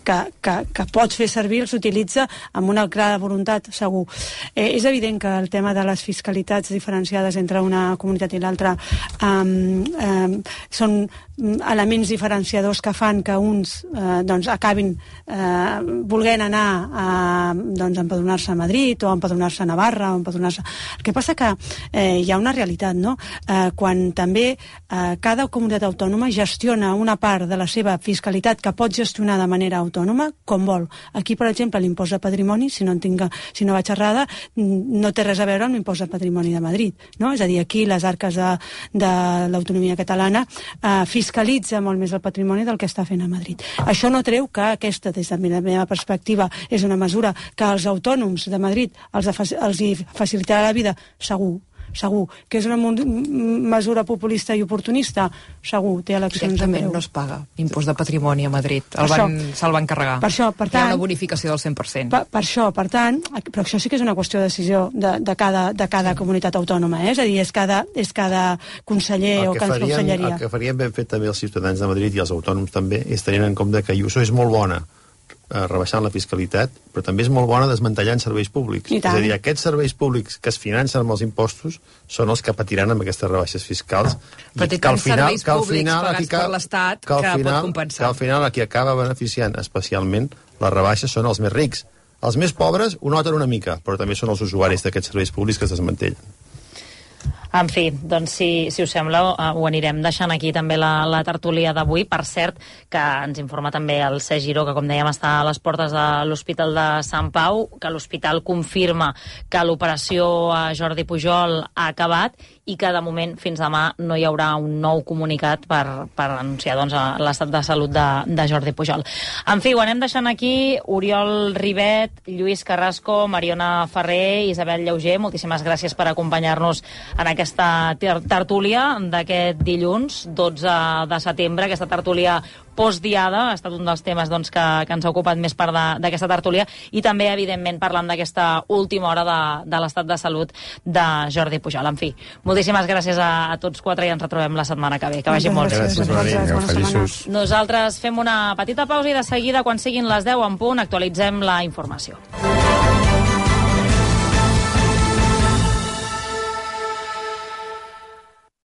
que, que, que pots fer servir, s'utilitza amb una clara voluntat, segur. Eh, és evident que el tema de les fiscalitats diferenciades entre una comunitat i l'altra eh, eh, són elements diferenciadors que fan que uns eh, doncs acabin eh, volent anar a doncs, empadronar-se a Madrid o empadronar-se a Navarra o empadronar-se... El que passa que eh, hi ha una realitat, no? Eh, quan també eh, cada comunitat autònoma gestiona una part de la seva fiscalitat que pot gestionar de manera autònoma com vol. Aquí, per exemple, l'impost de patrimoni, si no, en tinc, si no vaig errada, no té res a veure amb l'impost de patrimoni de Madrid, no? És a dir, aquí les arques de, de l'autonomia catalana eh, fiscalitza molt més el patrimoni del que està fent a Madrid. Això no treu que aquesta, des de la meva perspectiva, és una mesura que els autònoms de Madrid els, els hi facilitarà la vida, segur, segur. Que és una mesura populista i oportunista, segur, té eleccions en breu. No es paga impost de patrimoni a Madrid, el van, se'l van carregar. Per això, per tant, hi ha una bonificació del cent per cent. Per, per això, per tant, però això sí que és una qüestió de decisió de, de cada, de cada sí. comunitat autònoma, eh? És a dir, és cada, és cada conseller o cada conselleria. El que farien ben fet també els ciutadans de Madrid i els autònoms també és tenint en compte que Ayuso és molt bona rebaixant la fiscalitat, però també és molt bona desmantellant serveis públics. És a dir, aquests serveis públics que es financen amb els impostos són els que patiran amb aquestes rebaixes fiscals. Però té tants serveis públics pagats per l'Estat que, que pot compensar. Que al final a qui acaba beneficiant especialment les rebaixes són els més rics. Els més pobres ho noten una mica, però també són els usuaris d'aquests serveis públics que es desmantellen. En fi, doncs si, si us sembla ho anirem deixant aquí també la, la tertúlia d'avui. Per cert, que ens informa també el C. Giró, que com dèiem està a les portes de l'Hospital de Sant Pau, que l'hospital confirma que l'operació a Jordi Pujol ha acabat i que de moment fins demà no hi haurà un nou comunicat per, per anunciar doncs, l'estat de salut de, de Jordi Pujol. En fi, ho anem deixant aquí. Oriol Ribet, Lluís Carrasco, Mariona Ferrer, Isabel Llauger, moltíssimes gràcies per acompanyar-nos en aquesta tertúlia d'aquest dilluns, dotze de setembre, aquesta tertúlia postdiada, ha estat un dels temes doncs, que, que ens ha ocupat més part d'aquesta tertúlia i també, evidentment, parlant d'aquesta última hora de, de l'estat de salut de Jordi Pujol. En fi, moltíssimes gràcies a, a tots quatre i ens retrobem la setmana que ve. Que vagi molt bé. Gràcies, gràcies, gràcies. Nosaltres fem una petita pausa i de seguida, quan siguin les deu en punt, actualitzem la informació.